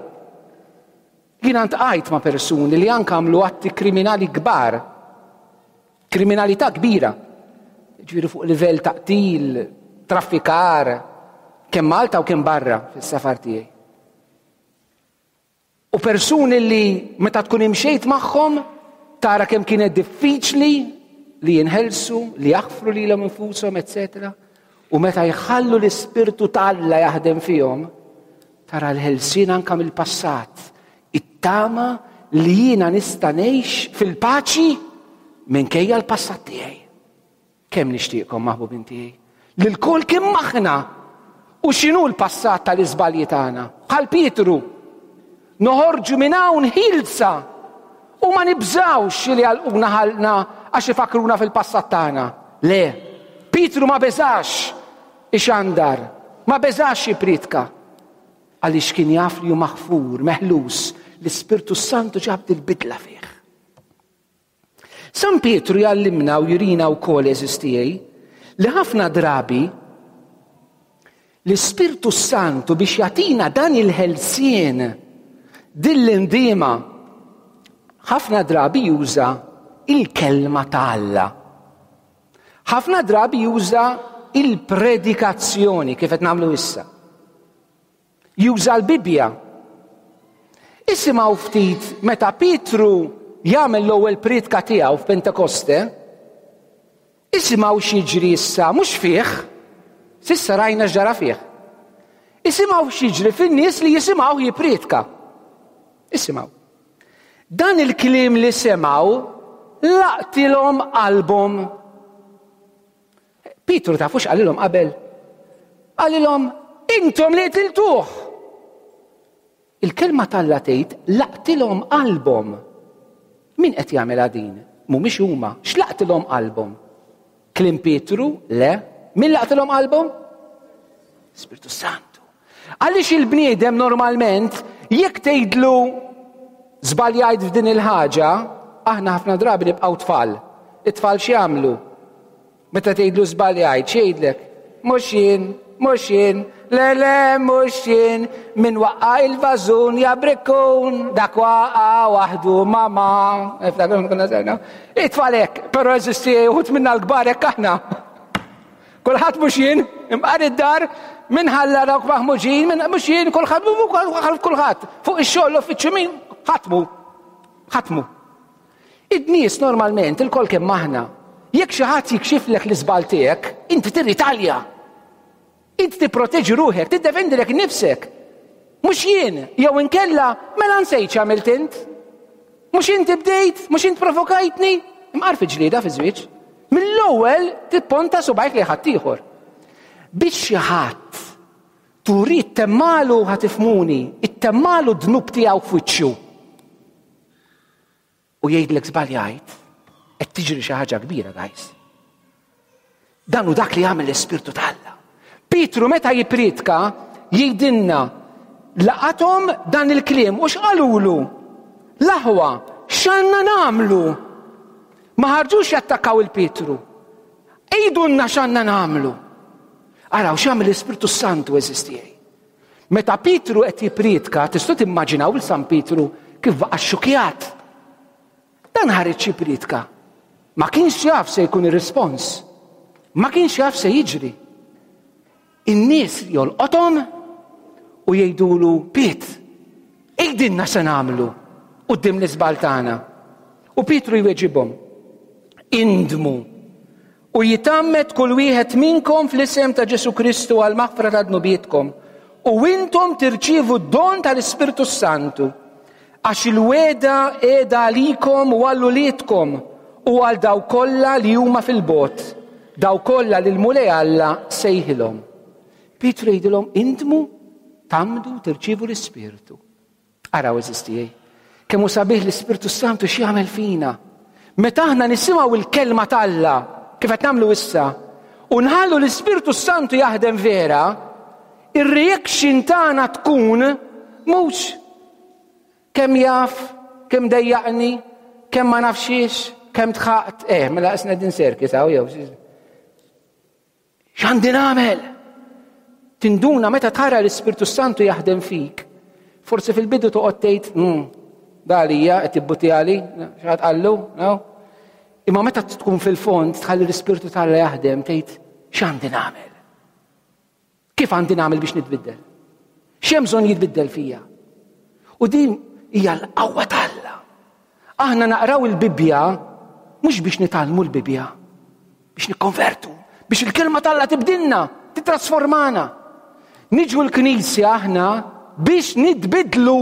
Jiena ntqajt ma' persuni li anke għamlu atti kriminali kbar, kriminalità kbira, ġifieri fuq livell ta' qtil, traffikar, kemm Malta u kemm barra fis-safar tiegħi. U persuni li meta tkun imxejt magħhom tara kemm kienet diffiċli li jinħelsu, li jaħfru lilhom infushom, eccetera. U meta jħallu l-Ispirtu t'Alla jaħdem fihom, tara l-ħelsien anka mill-passat, it-tama li jiena nista' ngħix fil-paċi minkejja l-passat tiegħi. Kemm nixtieqkom maħbubin tiegħi. Li lkoll kemm aħna u x'inhu l-passat tal-iżbalji tagħna. Bħal Pietru, noħorġu minn hawn ħilsa u ma nibżgħux li għalquna ħalqna għax ifakruna fil-passat tagħna. Le, Pietru ma beżax ixandar, ma beżax jipritka. Għaliex kien jaf li hu maħfur, meħlus, l-Ispirtu Santu ġab dil-bidla fih. San Pietru jgħallimna u jurina wkoll għeżież tiegħi li ħafna drabi l-Ispirtu Santu biex jagħtina dan il-ħelsien din l-indiema ħafna drabi juża il-kelma ta' Alla. Ħafna drabi juża il-predikazzjoni kif qed nagħmlu issa. Juża l-Bibbja. Isimgħu ftit meta Pietru jagħmel l-ewwel prietka tiegħu f'Pentekoste, isimgħu x'jiġri issa mhux fih, s'issa rajna x'ġara fih. Isimgħu x'jiġri fin-nies li jisimgħuh jipprietka. Isimgħu. Dan il-kliem li semgħu laqtilhom qalbhom. Pietru tafu x'qalilhom qabel? Qalilhom intom li qtiltuh. Il-kelma t'Alla tgħid laqtilhom qalbhom. Min qed jagħmilha din? Mhumiex huma. X'laqtilhom qalbhom? Kliem Pietru? Le. Min laqtilhom qalbhom? Spirtu Santu. Għaliex il-bniedem normalment jekk tgħidlu żbaljajt f'din il-ħaġa, aħna ħafna drabi nibqgħu tfal. It-tfal x'jagħmlu? Meta tgħidlu żbaljajt, x'jgħidlek? Mhux jien, mhux jien, le le mhux jien, min waqqa' il-vażun ja brikkun, dak waqa' waħdu mama. It-tfal hekk, però eżisti uħud minna l-kbar hekk aħna. Kulħadd mhux jien, imqar id-dar, min ħalla dawk maħmuġin, min mhux jien, kulħadd kulħadd. Fuq ix-xogħol l-uffiċċju min ħatmu. Ħatmu. Id-nies normalment il-kol kemm aħna, jekk xi ħadd jikxiflek l-iżball tiegħek, inti tirritalja. Inti tipproteġi ruħek, tiddefendilek nifsek. Mhux jien, jew inkella mela nsejt x'għamilt int. Mhux inti bdejt, mhux int provokajtni. Imqar fi ġlieda fi żwieġ. Mill-ewwel tipponta subgħajk lejn ħaddieħor. Biex xi ħadd turi temmalu ħa tifhmuni, ittemmalu d-dnub tiegħu f'wiċċu. U jgħidlek żbaljajt, qed tiġri xi ħaġa kbira, guys. Dan hu dak li jagħmel l-Ispirtu t'Alla. Pietru meta jippriedka jgħidilna laqathom dan il-kliem u x'qalulu? L-aħwa, x'għandna nagħmlu? Ma ħarġux jattakkaw il-Pietru. Għidulna x'għandna nagħmlu. Araw x'għamel l-Ispirtu Santu għeżież tiegħi. Meta Pietru qed jippriedka, tistgħu timmaġinaw lil San Pietru kif baqa' xxukjat. Dan ħareġ jippriedka. Ma kienx jaf se jkun ir-rispons. Ma kienx jaf se jiġri. In-nies jolqothom u jgħidulu Piet, għidilna se nagħmlu quddiem l-iżball tagħna. U Pietru jweġibhom, indmu U jitgħammed kull wieħed minnkom fl-isem ta' Ġesù Kristu għall-maħfra ta' dnubietkom, u intom tirċievu d-don tal-Ispirtu s-Santu. Għax il-wegħda qiegħda għalikom u għal uliedkom u għal dawk kollha li huma fil-bogħod, dawk kollha li l-Mulej Alla sejħilhom. Pietru jgħidilhom indmu, tgħammdu, tirċievu l-Ispirtu. Araw għeżież tiegħi, kemm hu sabiħ l-Ispirtu Santu x'jagħmel fina. Meta aħna nisimgħu l-kelma t'Alla, kif qed nagħmlu issa, u nħallu l-Ispirtu Santu jaħdem vera, ir-reaction tagħna tkun mhux kemm jaf, kemm dejjaqni, kemm ma nafxiex, kemm tħaqt, eh, mela qisna din serki saw jew. X'għandi nagħmel? Tinduna meta tara l-Ispirtu Santu jaħdem fik. Forsi fil-bidu toqgħod tgħid, hmm, da għalija qed jibbuti għali, x'ħadd qallu, no? Imma meta tkun fil-fond tħalli l-Ispirtu t'Alla jaħdem tgħid x'għandi nagħmel? Kif għandi nagħmel biex nitbiddel? X'hemm bżonn jitbiddel fija? U din hija l-qawwa t'Alla. Aħna naqraw il-Bibbja mhux biex nitgħallmu l-Bibbja, biex nikkonvertu, biex il-kelma t'Alla tibdilna, titrasformana. Niġu l-knisja aħna biex nitbidlu.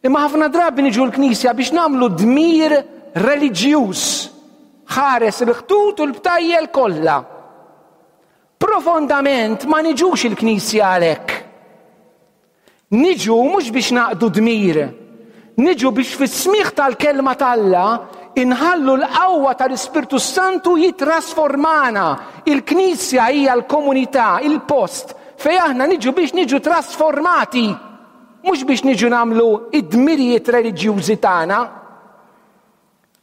Imma ħafna drabi niġu l-knisja biex nagħmlu dmir reliġjuż. Ħares il-ħtut u l-btajjel kollha. Profondament ma niġux il-knisja għalhekk. Niġu mhux biex naqdu dmir. Niġu biex fis-smigħ tal-kelma t'Alla inħallu l-qawwa tal-Ispirtu Santu jitrasformana. Il-Knisja hija l-komunità, il-post fejn aħna niġu biex niġu trasformati, mhux biex niġu nagħmlu id-dmirijiet reliġjużi tagħna.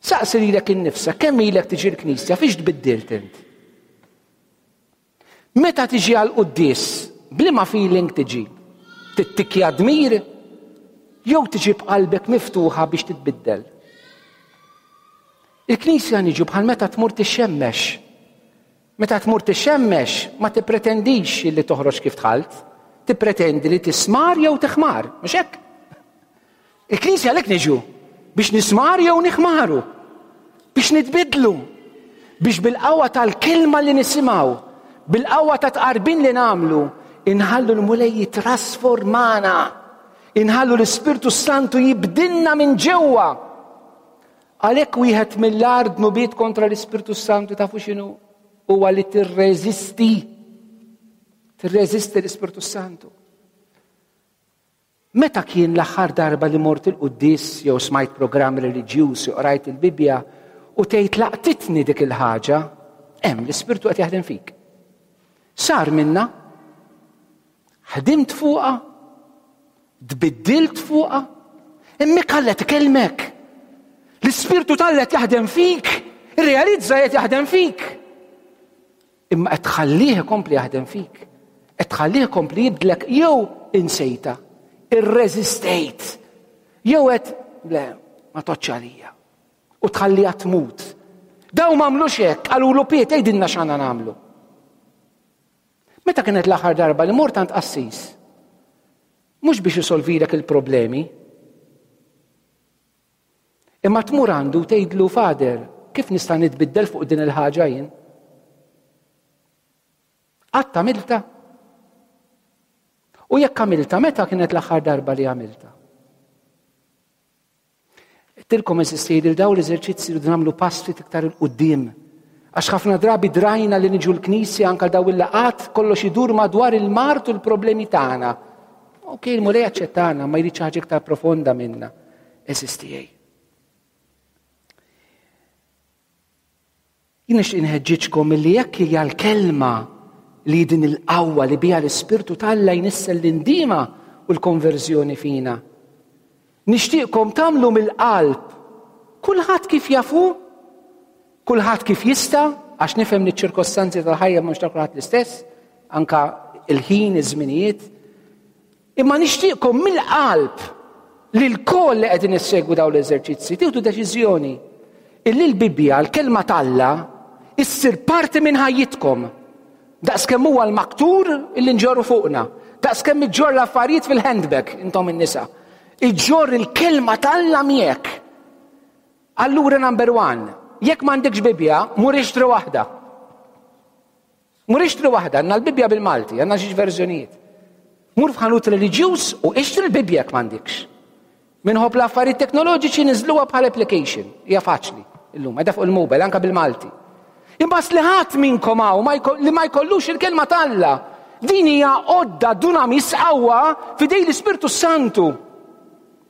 Saqsi lilek innifsek, kemm ilek tiġi l-Knisja, fiex tbiddilt int? Meta tiġi għal quddies, b'liema feeling tiġi? Tittikja dmir jew tiġi b'qalbek miftuħa biex titbiddel? Il-Knisja niġu bħal meta tmur tixxemmex. Meta tmur tixxemmex ma tippretendix li toħroġ kif dħalt. Tippretendi li tismar jew tiħmar, mhux hekk? Il-Knisja għalhekk niġu biex nismar jew niħmaru, biex nitbidlu, biex bil-qawwa tal-kelma li nisimgħu, bil-qawwa ta' tqarbin li nagħmlu, inħallu l-Mulej jitrasformana, inħallu l-Ispirtu Santu jibdilna minn ġewwa. Għalhekk wieħed mill-agħar dnubiet kontra l-Ispirtu Santu tafu x'inhu? Huwa li tirreżisti. Tirreżisti l-Ispirtu Santu. Meta kien l-aħħar darba li mort il-quddies jew smajt programm reliġjuż jew qrajt il-Bibbja u tgħid laqtitni dik il-ħaġa, hemm l-Ispirtu qed jaħdem fik. Sar minna, ħdimt fuqha, tbiddilt fuqha, hemmhekk Alla qed ikellmek. L-Ispirtu t'Alla qed jaħdem fik, irrealizza qed jaħdem fik. Imma qed tħallih ikompli jaħdem fik. Qed tħallih ikompli jibdlek jew insejta, irreżistejt, jew qed le, ma toċċ għalija. U tħalliha tmut. Daw m'għamlux hekk, qalulu Piet għidilna x'għandna nagħmlu. Meta kienet l-aħħar darba li mort għand qassis? Mhux biex isolvilek il-problemi, Imma tmur għandu u tgħidlu, Father, kif nista' nitbiddel fuq din il-ħaġa jien? Qatt għamilta? U jekk għamilta, meta kienet l-aħħar darba li għamilta? Tilkom eżisti li daw l-eżerċizzi li nagħmlu pass ftit iktar il-qudiem. Għax ħafna drabi drajna li niġu l-knisja anka daw il-laqat kollox idur madwar il-mart u l-problemi tagħna. Ok, il-Mulej aċċettana, ma jrid ħaġa iktar profonda minna. Għeżież tiegħi. Jien nixtieq inħeġġiġkom illi jekk hija l-kelma li din il-qawwa li biha l-Ispirtu t'Alla jnissel l-indiema u l-konverżjoni fina. Nixtieqkom tagħmlu mill-qalb kulħadd kif jafu, kulħadd kif jista', għax nifhem li ċ-ċirkostanzi tal-ħajja mhux ta' kulħadd l-istess, anka il-ħin, iż-żminijiet. Imma nixtieqkom mill-qalb li lkoll li qegħdin issegwu dawn l-eżerċizzi tieħdu deċiżjoni illi l-Bibbja, l-kelma t'Alla, issir parti minn ħajjitkom. Daqskemm huwa l-maktur illi nġorru fuqna, daqskemm iġġorr l-affarijiet fil-handbag intom in-nisa. Iġġorr il-kelma t'Alla miegħek. Allura number one, jekk m'għandekx Bibbja, mur ixtri waħda. Mur ixtri waħda, għandna l-Bibbja bil-Malti, għandna xi verżjonijiet. Mur f'ħanut reliġjuż u ixtri l-Bibbja jekk m'għandikx. Minħobb l-affarijiet teknoloġiċi niżluha bħal application. Hija faċli illum, qiegħda fuq il-mobile anke bil-Malti. Imma li ħadd minnkom hawn li ma jkollux il-kelma t'Alla. Din hija għodda dunamis qawwa f'idej l-Ispirtu Santu.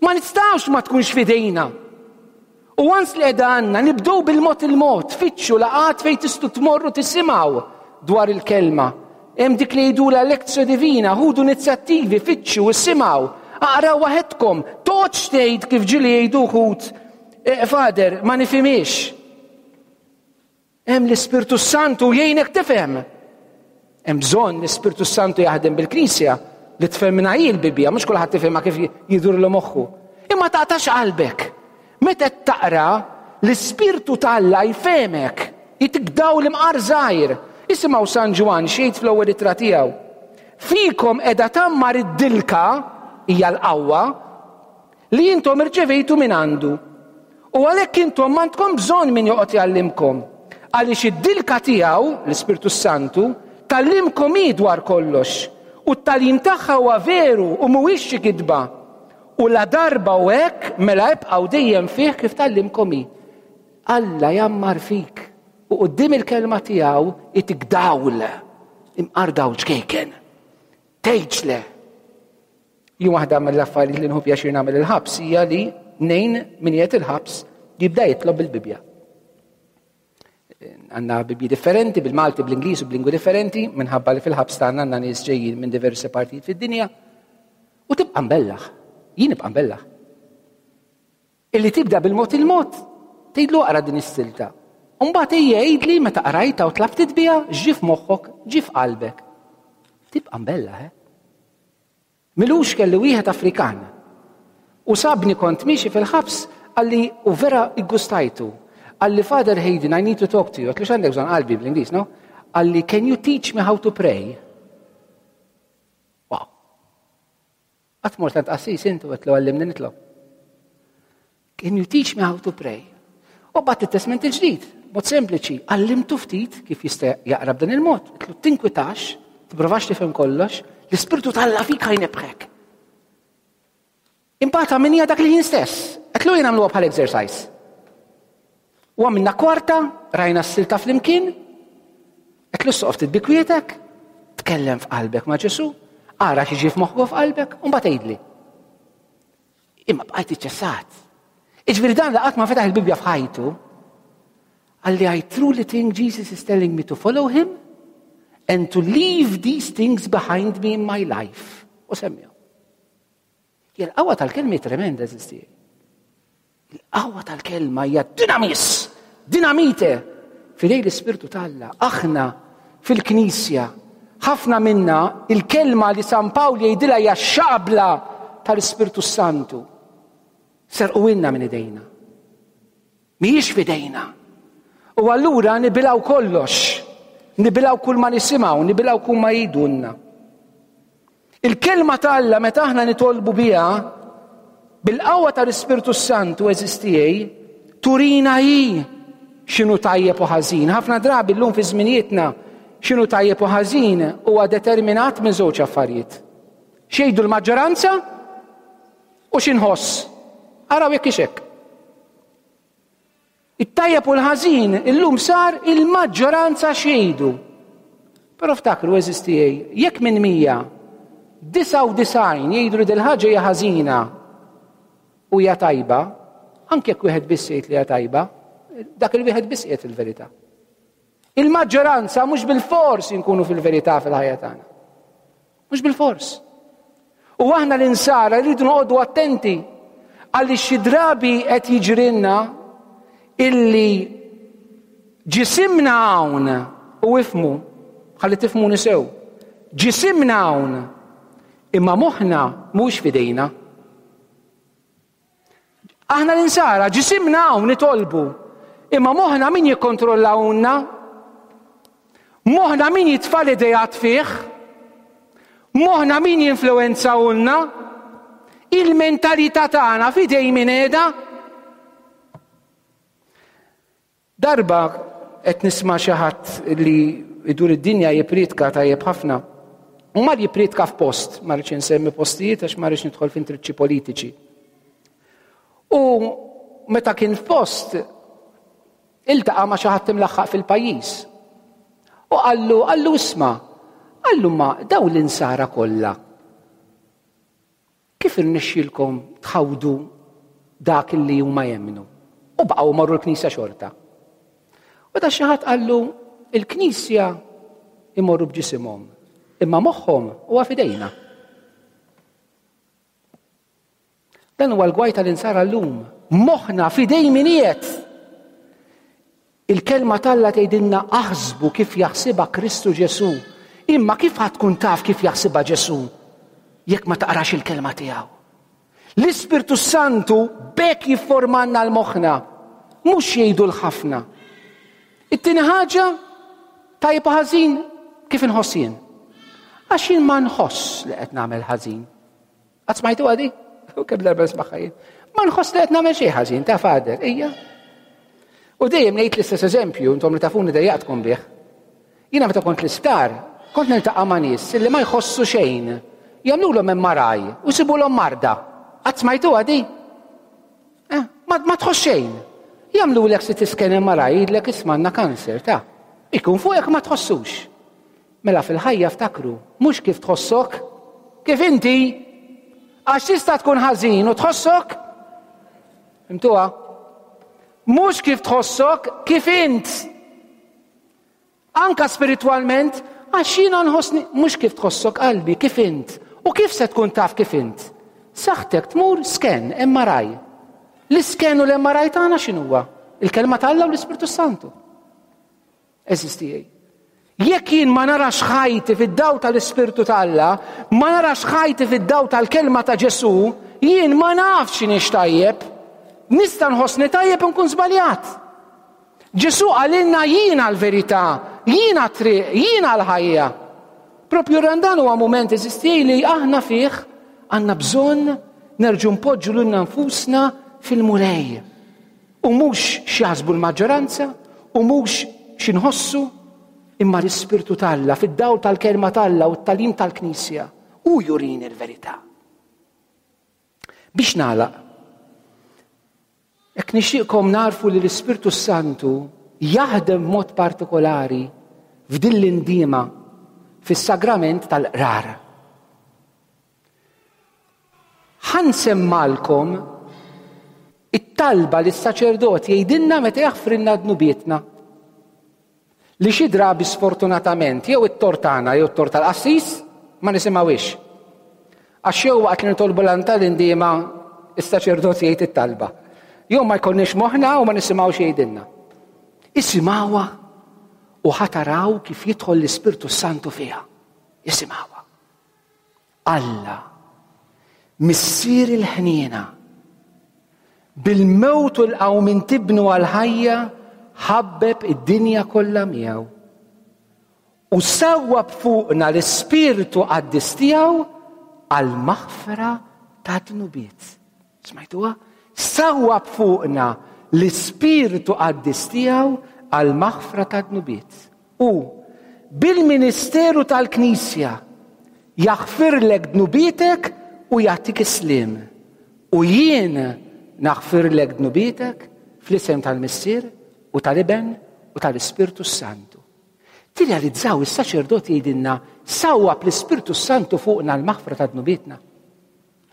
Ma nistgħux ma tkunx f'idejna. U once li qiegħda għandna, nibdew bil-mod il-mod, fittxu laqgħat fejn tistgħu tmorru tisimgħu dwar il-kelma. Hemm dik li jgħidulha lectio divina, ħudu inizjattivi, fittxu, isimgħu, aqraw waħedkom, toqgħodx tgħid kif ġieli jgħidu wħud, eh, Father, ma nifhimhiex. Hemm l-Ispirtu Santu jgħinek tifhem. Hemm bżonn l-Ispirtu Santu jaħdem bil-Knisja li tfehmna hi l-Bibbja, mhux kulħadd tifhimha kif jidurlu moħħu. Imma taqtax qalbek. Meta qed taqra, l-Ispirtu t'Alla jfehmek, jitik dawl imqar żgħir. Isimgħu San Ġwann x'jgħid fl-ewwel ittra tiegħu. Fikom qiegħda tgħammar id-dilka, hija l-qawwa, Li intom irċevejtu minn għandu. U għalhekk intom m'għandkom bżonn min joqgħod jgħallimkom, għaliex id-dilka tiegħu, l-Ispirtu s-Santu, tgħallimkom hi dwar kollox, u t-tagħlim tagħha huwa veru u mhuwiex xi kitba. U ladarba hu hekk, mela ibqgħu dejjem fih kif tgħallimkom hi. Alla jgħammar fik, u quddiem il-kelma tiegħu itik dawl, imqar dawl ċkejken. Tgħidx le. Jien waħda mill-affarijiet li nħu pjaċir nagħmel il-ħabs hija li ngħin min qiegħed il-ħabs jibda jitlob bil-Bibbja. Għandna Bibbji differenti bil-Malti, bl-Ingliż u b'lingwi differenti minħabba li fil-ħabs tagħna għandna nies ġejjin minn diversi partijiet fid-dinja. U tibqa' mbellaħ. Jien nibqa' mbellaħ. Illi tibda bil-mod il-mod, tgħidlu aqra din is-silta. U mbagħad ejja għidli meta qrajtha u tlabtit biha x'ġie f'moħħok, ġie f'qalbek. Tibqa' mbellaħ, eh? M'ilux kelli wieħed Afrikan. U sabni kont miexi fil-ħabs qalli u vera iggustajtu. Qalli Father Hayden, I need to talk to you. Għatlu x'għandek bżonn qalbi bl-Ingliż, no? Qalli can you teach me how to pray? Wow. Qatt mort għand qassis intu għedtlu għallimni nitlob. Can you teach me how to pray? U bat it-testment il-ġdid, mod sempliċi, għallimtu ftit kif jista' jaqra b'dan il-mod. Għedtlu tinkwitax, tipprovax tifhem kollox, l-ispirtu t'Alla fik ħajnebħek. Imbagħad għamilniha dak il-ħin stess. Għedtlu jien għamluha bħal exercise. U għamilna kwarta, rajna s-silta flimkien, għedtlu soqf ftit bi kwietek, tkellem f'qalbek ma' Ġesu, ara xi f'moħħu f'qalbek, u mbagħad għidli. Imma bqajt iċċessat. Iġifieri dan li qatt ma fetaħ il-Bibbja f'ħajtu, Qalli I truly think Jesus is telling me to follow him and to leave these things behind me in my life. U semmihom. Hija l-qawwa tal-kelma hi tremenda, eżisti. Il-qawwa tal-kelma hija dinamis, dinamite fidej l-Ispirtu t'Alla. Aħna fil-Knisja, ħafna minna il-kelma li San Pawl jgħidilha hija xabla tal-Ispirtu Santu. Serqu minn idejna. Mhijiex f'idejna. U allura nibilgħu kollox. Nibilgħu kull ma nisimgħu, nibilgħu kull ma jgħidulna. Il-kelma ta' Alla meta aħna nitolbu biha bil-qawwa tal-Ispirtu Santu eżistijej, turina hi x'inhu tajjeb u ħażin. Ħafna drabi llum fi żminijietna x'inhu tajjeb u ħażin huwa determinat minn żewġ affarijiet. X'jgħidu l-maġġoranza U xi nħoss? Araw jekk hix hekk. It-tajjeb u l-ħażin illum sar il-maġġoranza xejdu. Però ftakru eżisti jekk minn 199 jgħidu li dil-ħaġa hija ħażina u hija tajba, anke jekk wieħed biss jgħid li hija tajba, dak il-wieħed biss qiegħed il-verità. Il-maġġoranza mhux bilfors inkunu fil-verità fil-ħajja tagħna. Mhux bilfors. U aħna l-insara rridu noqogħdu attenti għaliex xi drabi qed jiġrilna illi ġisimna hawn u ifmu, ħalli tifhmuni sew. Ġisimna hawn imma moħħna mhux f'idejna. Aħna l-insara ġisimna hawn nitolbu, imma moħħna min jikkontrollahulna? Moħħna min jitfa' l-ideat fih? Moħħna min jinfluwenzahulna? Il-mentalità tagħna f'idej min qiegħda? Darba qed nisma' xi ħadd li jdur id-dinja jippriedka tajjeb ħafna. U mar jippriedka f'post, ma rridx insemmi postijiet għax ma rridx nidħol f'intriċċi politiċi. U meta kien f'post, iltaqa' ma' xi ħadd imlaħħaq fil-pajjiż. U qallu, qallu isma', qallu ma daw l-insara kollha. Kif irnexxielkom tħawdu dak li huma jemmnu? U baqgħu marru l-knisja xorta. U da xi ħadd qallu il-knisja imorru b'ġisimhom, imma moħħhom huwa f'idejna. Dan huwa l-gwaj tal-insara llum. Moħħna f'idej min qiegħed. Il-Kelma t'Alla tgħidilna aħsbu kif jaħsibha Kristu Ġesù. Imma kif ħa tkun taf kif jaħsibha Ġesù jekk ma taqrax il-Kelma tiegħu? L-Ispirtu Santu b'hekk jifformanna l-moħħna, mhux jgħidu l-ħafna. It-tieni ħaġa, tajjeb u ħażin kif inħoss jien. Għax jien ma nħoss li qed nagħmel ħażin. Qatt smajtu għadi? U kemm darba nismagħha jien. Ma nħoss li qed nagħmel xejn ħażin ta' fader, ejja. U dejjem ngħid l-istess eżempju, intom li tafuni dejjaqtkom bih. Jiena meta kont l-isptar, kont niltaqa' ma' nies li ma jħossu xejn. Jagħmlulhom MRI u jsibulhom marda. Qatt smajtu għadi? Eh, ma, ma tħoss xejn. Jagħmlulek CT scan MRI jgħidlek isma' għandna kanser ta' ikun fuqek ma tħossux. Mela fil-ħajja ftakru, mhux kif tħossok, kif inti, għax tista' tkun ħażin u tħossok. Fhimtuha? Mhux kif tħossok, kif int. Anka spiritwalment, għax jiena nħossni mhux kif tħossok qalbi, kif int. U kif se tkun taf kif int? Saħtek tmur scan, MRI. L-iscan u l-MRI tagħna x'inhuwa? Il-kelma t'Alla u l-Ispirtu Santu. Għeżież tiegħi, jekk jien ma narax ħajti fid-dawl tal-Ispirtu t'Alla, ma narax ħajti fid-dawl tal-kelma ta' Ġesù, jien ma nafx x'inhiex tajjeb. Nista' nħossni tajjeb u nkun żbaljat. Ġesù qalilna jiena l-verità, jiena t-triq, jiena l-ħajja. Propju r-Randan huwa mument eżisti li aħna fih. Għandna bżonn nerġgħu npoġġu lilna nfusna fil-Mulej. U mhux x'jaħsbu l-maġġoranza, u mhux x'inħossu, imma l-Ispirtu t'Alla fid-dawl tal-kelma t'Alla u t-tagħlim tal-Knisja hu jurini l-verità. Biex nagħlaq, hekk nixtieqkom narfu li l-Ispirtu Santu jaħdem b'mod partikolari f'din l-indiema fis-sagrament tal-qrar. Ħa nsemmalkom it-talba li s-saċerdot jgħidilna meta jaħfrilna dnubietna. Li xi drabi sfortunatament jew it-tort tagħna jew it-tort tal-qassis ma nisimgħuhiex. Għax jew waqt li nitolbu l tal-indiema is-saċerdot jgħid it-talba. Jew ma jkollniex moħħna u ma nisimgħux jgħidilna. Isimgħuha u ħa taraw kif jidħol l-Ispirtu Santu fiha. Isimgħuha. Alla, Missier il-ħniena, bil-mewt u l-qawmien tibnu għall-ħajja ħabbeb id-dinja kollha miegħu. U sawwab fuqna l-Ispirtu qaddis tiegħu għall-maħfra ta' dnubiet. Smajtuha? Sawwab fuqna l-Ispirtu qaddis tiegħu għall-maħfra ta' dnubiet. U bil-ministeru tal-Knisja jaħfirlek dnubietek u jagħtik is-sliem. U jien naħfirlek dnubietek fl-isem tal-Missier u tal-Iben u tal-Ispirtu Santu. Tirrealizzaw is-saċerdot jgħidilna sawwab l-Ispirtu Santu fuqna l-maħfra ta' dnubietna.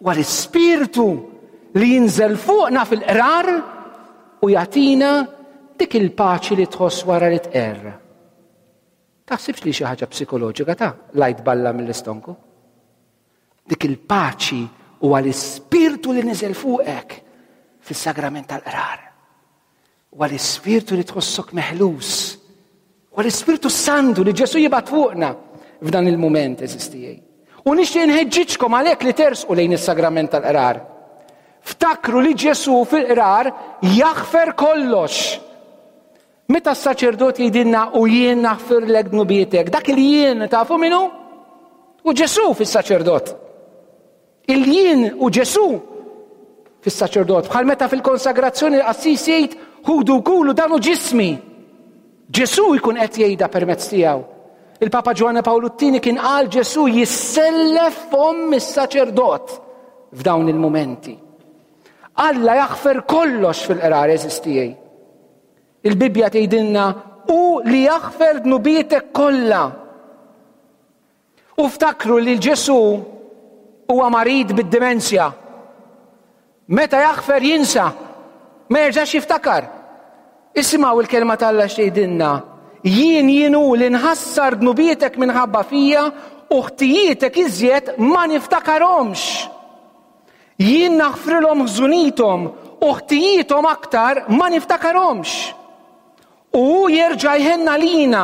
Huwa l-Ispirtu li jinżel fuqna fil-qrar u jagħtina dik il-paċi li tħoss wara li tqerr. Taħsibx li xi ħaġa psikoloġika ta' lajt balla mill-istonku. Dik il-paċi huwa l-ispirtu li niżel fuqek fis-sagrament tal-qrar. Huwa l-Ispirtu li tħossok meħlus. Huwa l-Ispirtu Santu li Ġesu jibgħat fuqna f'dan il-mument eżistijaj. U nixtieq nħeġġiġkom għalhekk li tersqu lejn is-sagrament tal-qrar. Ftakru li Ġesu fil-qrar jaħfer kollox. Meta s-saċerdot jgħidilna u jien naħfirlek dnubietek, dak il jien tafu minu? U Ġesu fis-saċerdot. Il-jien u Ġesù fis-saċerdot, bħal meta fil-konsagrazzjoni l-qassis jgħid ħudu kulu dan hu ġismi. Ġesù jkun qed jgħidha permezz tiegħu. Il-Papa Ġwanni Pawlu t-Tieni kien qal Ġesù jissellef fomm is-saċerdot f'dawn il-mumenti. Alla jaħfer kollox fil-qrar eżistijaj. Il-Bibbja tgħidilna u li jaħfer dnubietek kollha. U ftakru li Ġesù huwa marid bid-dimensja. Meta jaħfer jinsa, ma jerġax jiftakar. Isimgħu il-kelma t'Alla x'tgħidilna. Jien jien hu li nħassar dnubietek minħabba fija u ħtijietek iżjed ma niftakarhomx. Jien naħfrilhom ħżunithom u ħtijiethom aktar ma niftakarhomx. U hu jerġa' jħenn għalina,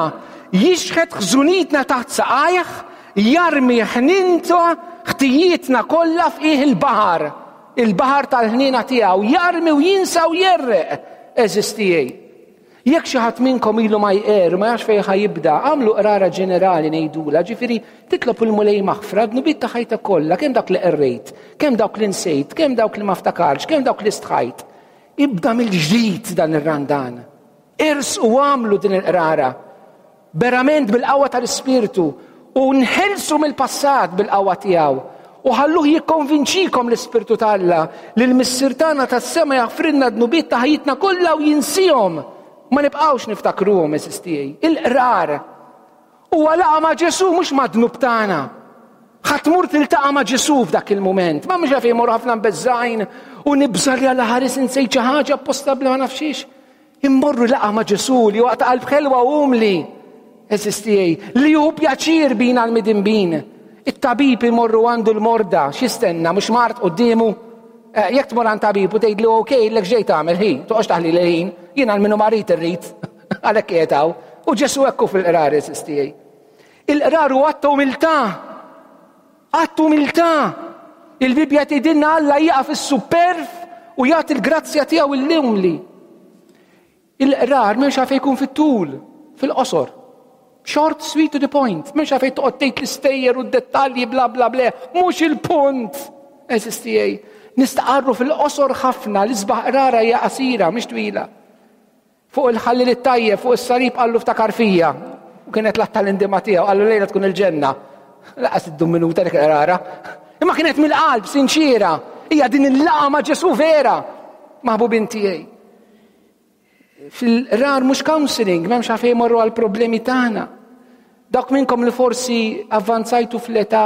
jixħet ħżunitna taħt saqajh, jarmi ħnintu ħtijietna kollha f'qiegħ il-baħar, il-baħar tal-ħniena tiegħu, jarmi u jinsa u jerreq, għeżież tiegħi. Jekk xi ħadd minnkom ilu ma jqerr, ma jafx fejn ħa jibda, agħmlu qrara ġenerali ngħidulha, ġifieri titlob il-Mulej maħfra dnubiet ta' ħajtek kollha, kemm dak li qerrejt, kemm dawk li nsejt, kemm dawk li ma ftakarx, kemm dawk li stħajt. Ibda mill-ġdid dan ir-Randan. Ers u għamlu din il-qrara. Verament bil-qawwa tal-Ispirtu u nħelsu mill-passat bil-qawwa tiegħu. U ħalluh jikkonvinċikom l-Ispirtu t'Alla li l-Missier tagħna tas-sema jaħfrilna dnubiet ta' ħajjitna kollha u jinsihom. Ma nibqgħux niftakruhom għeżież tiegħi. Il-qrar Huwa laqa' ma' Ġesù mhux mad-dnub tagħna. Ħa tmur tiltaqa' ma' Ġesù f'dak il-mument. Ma mhux għalfejn imorru ħafna mbeżżgħin u nibża' li Alla ħares insejt xi ħaġa apposta bla ma nafx xiex. Immorru laqa' ma' Ġesù li huwa ta' qalb ħelwa u umli. Għeżież tiegħi, li hu pjaċir bina l-midinbin. It-tabib imorru għandu l-morda, x'jistenna, mhux mard quddiemu? Eh, jekk tmur għand tabib u tgħidlu ok, lek x'ġej tagħmel ħi, toqgħodx taħli l-ħin, jien għal minnu marid irrid. Għalhekk qiegħed hawn. U Ġesù hekk hu fil-qrar għeżież tiegħi. Il-qrar hu att ta' umiltà. Att umiltà. Il-Bibbja tgħidilna Alla jieqaf is-superf u jagħti l-grazzja tiegħu l-umli. Il-qrar m'hemmx għalfejn jkun fit-tul, fil-qosor. Short, sweet to the point. M'hemmx għalfejn toqgħod tgħid l-istejjer u d-dettalji bla bla bla. Mhux il-punt. Għeżież tiegħi, nistqarru fil-qosor ħafna, l-isbaħ qrara hija qasira, mhix twila. Fuq il-ħallil it-tajjeb, fuq is-salib qallu ftakar fija. U kienet l-att tal-indima tiegħu, qallu lejla tkun il-ġenna. Laqas iddum minuta dik qrara. Imma kienet mill-qalb, sinċiera. Hija din il-laqa ma' Ġesu vera. Maħbubin tiegħi. Fil-rar mhux counseling, m'hemmx għalfejn morru għal problemi tagħna. Dawk minnkom li forsi avvanzajtu fl-età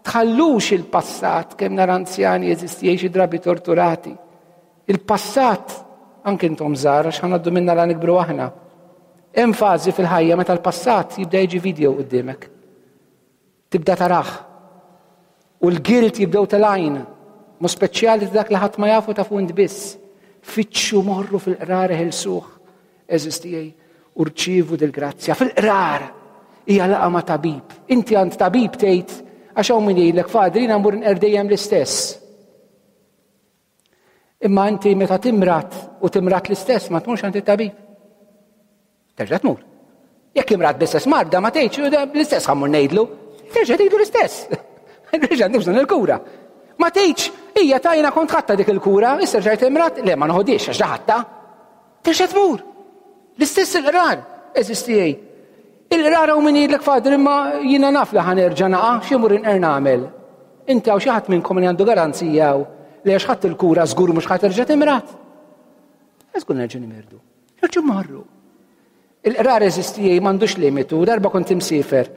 tħallux il-passat kemm nara anzjani jeżisti xi drabi torturati. Il-passat anke intom żgħar għax ħanaddu minna la nikbru aħna. Hemm fażi fil-ħajja meta l-passat jibda jiġi video quddiemek. Tibda tarah. U l-guilt jibdew telgħin. Mu speċjali dak li ħadd ma jafu tafu int biss. Fittxu morru fil-qrar ħelsuh, għeżież tiegħi, u rċievu dil-grazzja. Fil-qrar hija laqgħa ma' tabib. Inti għand tabib tgħid għax hawn min jgħidlek fadri jiena mmur nqer dejjem l-istess. Imma inti meta timrat u timrat l-istess ma tmurx għand it-tabib. Terġa' tmur. Jekk imrat bl-istess marda ma tgħidx l-istess ħammur ngħidlu. Terġa' tgħidu l-istess. Terġa' għandi bżonn il-kura. Ma tgħidx hija tajna kont ħadta dik il-kura, issa rġajt imrat, le ma noħodix għax ħadta. Terġa' tmur. L-istess il-qrar, eżisti Il-qrar hawn min jgħidlek Father imma jiena naf li ħa nerġa' naqa' xi mmur inqer nagħmel. Inti hawn xi ħadd minnkom li għandu garanzija hawn li għax ħadt il-kura żgur mhux ħa terġa' timrad? Żgur nerġa' nimirdu. Nerġgħu mmorru. Il-qrar eżisti m'għandux limitu, darba kont imsiefer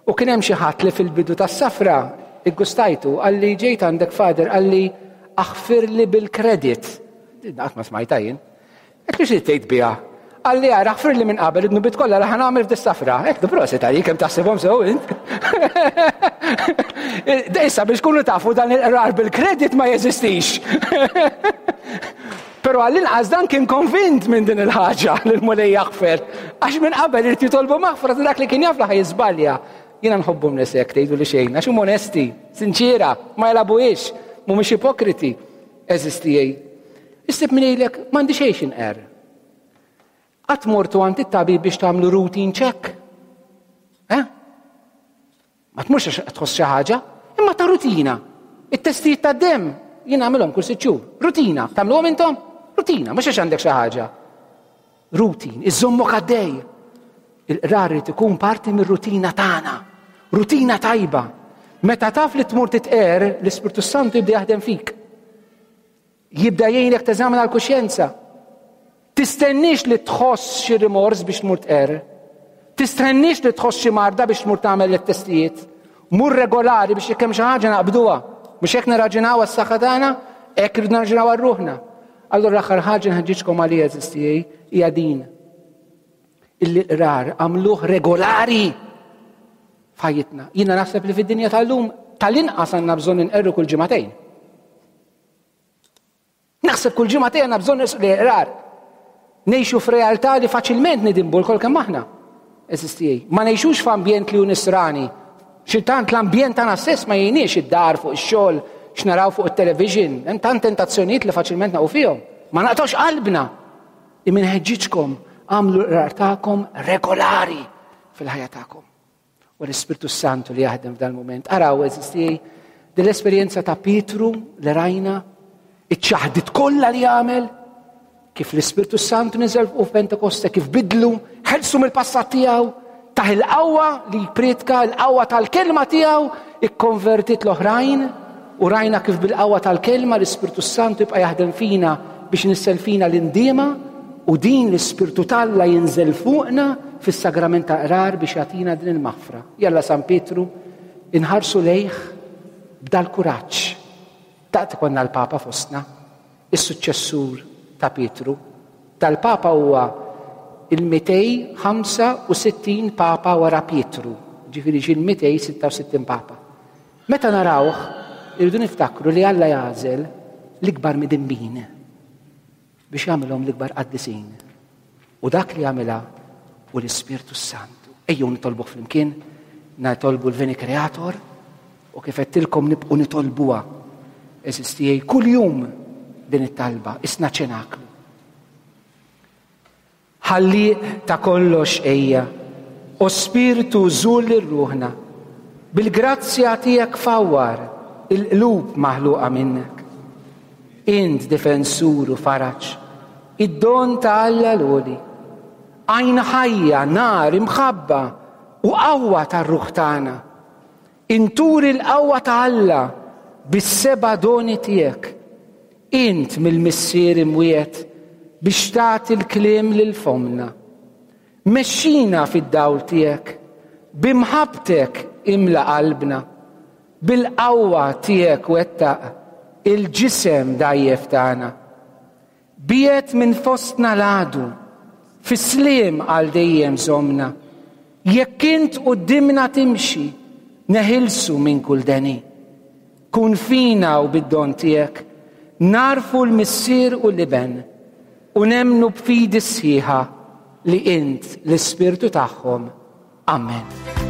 u kien hemm xi ħadd li fil-bidu tas-safra iggustajtu qalli ġejt għandek Father qalli aħfirli bil-credit. Din qatt ma smajtha jien. Għedtlu xi tgħid biha? Qalli ara ħfirli minn qabel id-dnubiet kollha li ħa nagħmel f'dis-safra. Għedtlu prosit għalik kemm taħsibhom sew int. Issa biex tkunu tafu dan il-qrar bil-kredit ma jeżistix. Però għall-inqas dan kien konvint minn din il-ħaġa li l-Mulej jaħfer. Għax minn qabel irid jitolbu maħfra ta' dak li kien jaf li ħajżbalja. Jiena nħobbhom nies hekk tgħidu li xejn, għax huma onesti, sinċiera, ma jilagħbuhiex, mhumiex ipokriti. Għeżież tiegħi, issib min jgħidlek m'għandi xejn x'inqerr. Qatt mortu għand it-tabib biex tagħmlu routine check? Eh? Ma tmurx għax tħoss xi ħaġa, imma ta' rutina. It-testijiet tad-demm jien nagħmilhom kull sitt xhur. Rutina, tagħmluhom intom? Rutina, mhux għax għandek xi ħaġa. Routine, iżommok għaddej. Il-qrar irid ikun parti mir-rutina tagħna. Rutina tajba. Meta taf li tmur titqer, l-Ispirtu Santu jibda jaħdem fik. Jibda jgħinek teżamina l-kuxjenza. Tistenniex li tħoss xi rimors biex tmur tqer. Tistenniex li tħoss xi marda biex tmur tagħmel it-testijiet. Mur regolari biex jekk hemm xi ħaġa naqbduha. Mhux hekk nirraġunaw għas-saħħa tagħna, hekk irridu nirraġunaw għal ruħna. Allura l-aħħar ħaġa nħeġġiġkom għalija għeżież tiegħi hija din. Illi l-qrar għamluh regolari f'ħajjitna. Jiena naħseb li fid-dinja tal-lum tal-inqas għandna bżonn inqerru kull ġimagħtejn. Naħseb kull ġimagħtejn għandna bżonn l-qrar. Ngħixu f'realtà li faċilment nidinbu lkoll kemm aħna. Għeżież tiegħi. Ma ngħixux f'ambjent li hu nisrani. Xi tant l-ambjent tagħna stess ma jgħinniex id-dar fuq ix-xogħol, x'naraw fuq it-television, hemm tant tentazzjonijiet li faċilment naqgħu fihom. Ma naqtgħux qalbna. Imma nħeġġiġkom għamlu l-qrar tagħkom regolari fil-ħajja tagħkom. U l-Ispirtu Santu li jaħdem f'dan il-mument. Araw, għeżież tiegħi, din l-esperjenza ta' Pietru li rajna, iċ-ċaħdit kollha li għamel, kif l-Ispirtu Santu niżel fuq f'Pentekoste, kif bidlu, ħelsu mill-passat tiegħu, taħ il-qawwa li jpriedka, il-qawwa tal-kelma tiegħu, ikkonvertit l-oħrajn, u rajna kif bil-qawwa tal-kelma l-Ispirtu Santu jibqa' jaħdem fina biex nissel fina l-indiema u din l-Ispirtu t'Alla jinżel fuqna fis-sagrament ta' qrar biex jagħtina din il-maħfra. Jalla San Pietru inħarsu lejh b'dal-kuraġġ. Daqt ikollna l-Papa fostna, is-suċċessur ta' Pietru. Dal-Papa huwa il-265 Papa wara Pietru, ġifieri ġie l-266 Papa. Meta narawh, irridu niftakru li Alla jagħżel l-ikbar midinbin biex jagħmilhom l-ikbar qaddisin. U dak li jagħmilha hu l-Ispirtu s-Santu. Ejjew nitolbuh flimkien, nitolbu l-Veni Creator u kif għedtilkom nibqgħu nitolbuha. Għeżież tiegħi, kuljum din it-talba, isna ċenaklu. Ħallieq ta' kollox ejja, o Spirtu żur lil ruħna. Bil-grazzja tiegħek fawwar. il-qlub maħluqa minnek. Int difensur u faraġ, id-don ta' Alla l-għoli. Għajn ħajja, nar, imħabba u qawwa tar-ruħ tagħna. Inturi l-qawwa ta' Alla bis-seba' doni tiegħek. Int mill-Missier imwiegħed biex tagħti l-kliem lil fommna. Mexxina fid-dawl tiegħek, bi mħabbtek imla qalbna, bil-qawwa tiegħek wettaq il-ġisem dgħajjef tagħna. Biegħed minn fostna l-għadu, fis-sliem għal dejjem żommna. Jekk int quddiemna timxi, neħilsu minn kull deni. Kun fina u bid-don tiegħek nagħrfu l-Missier u l-Iben u nemmnu b'fidi sħiħa li int l-Ispirtu tagħhom. Amen.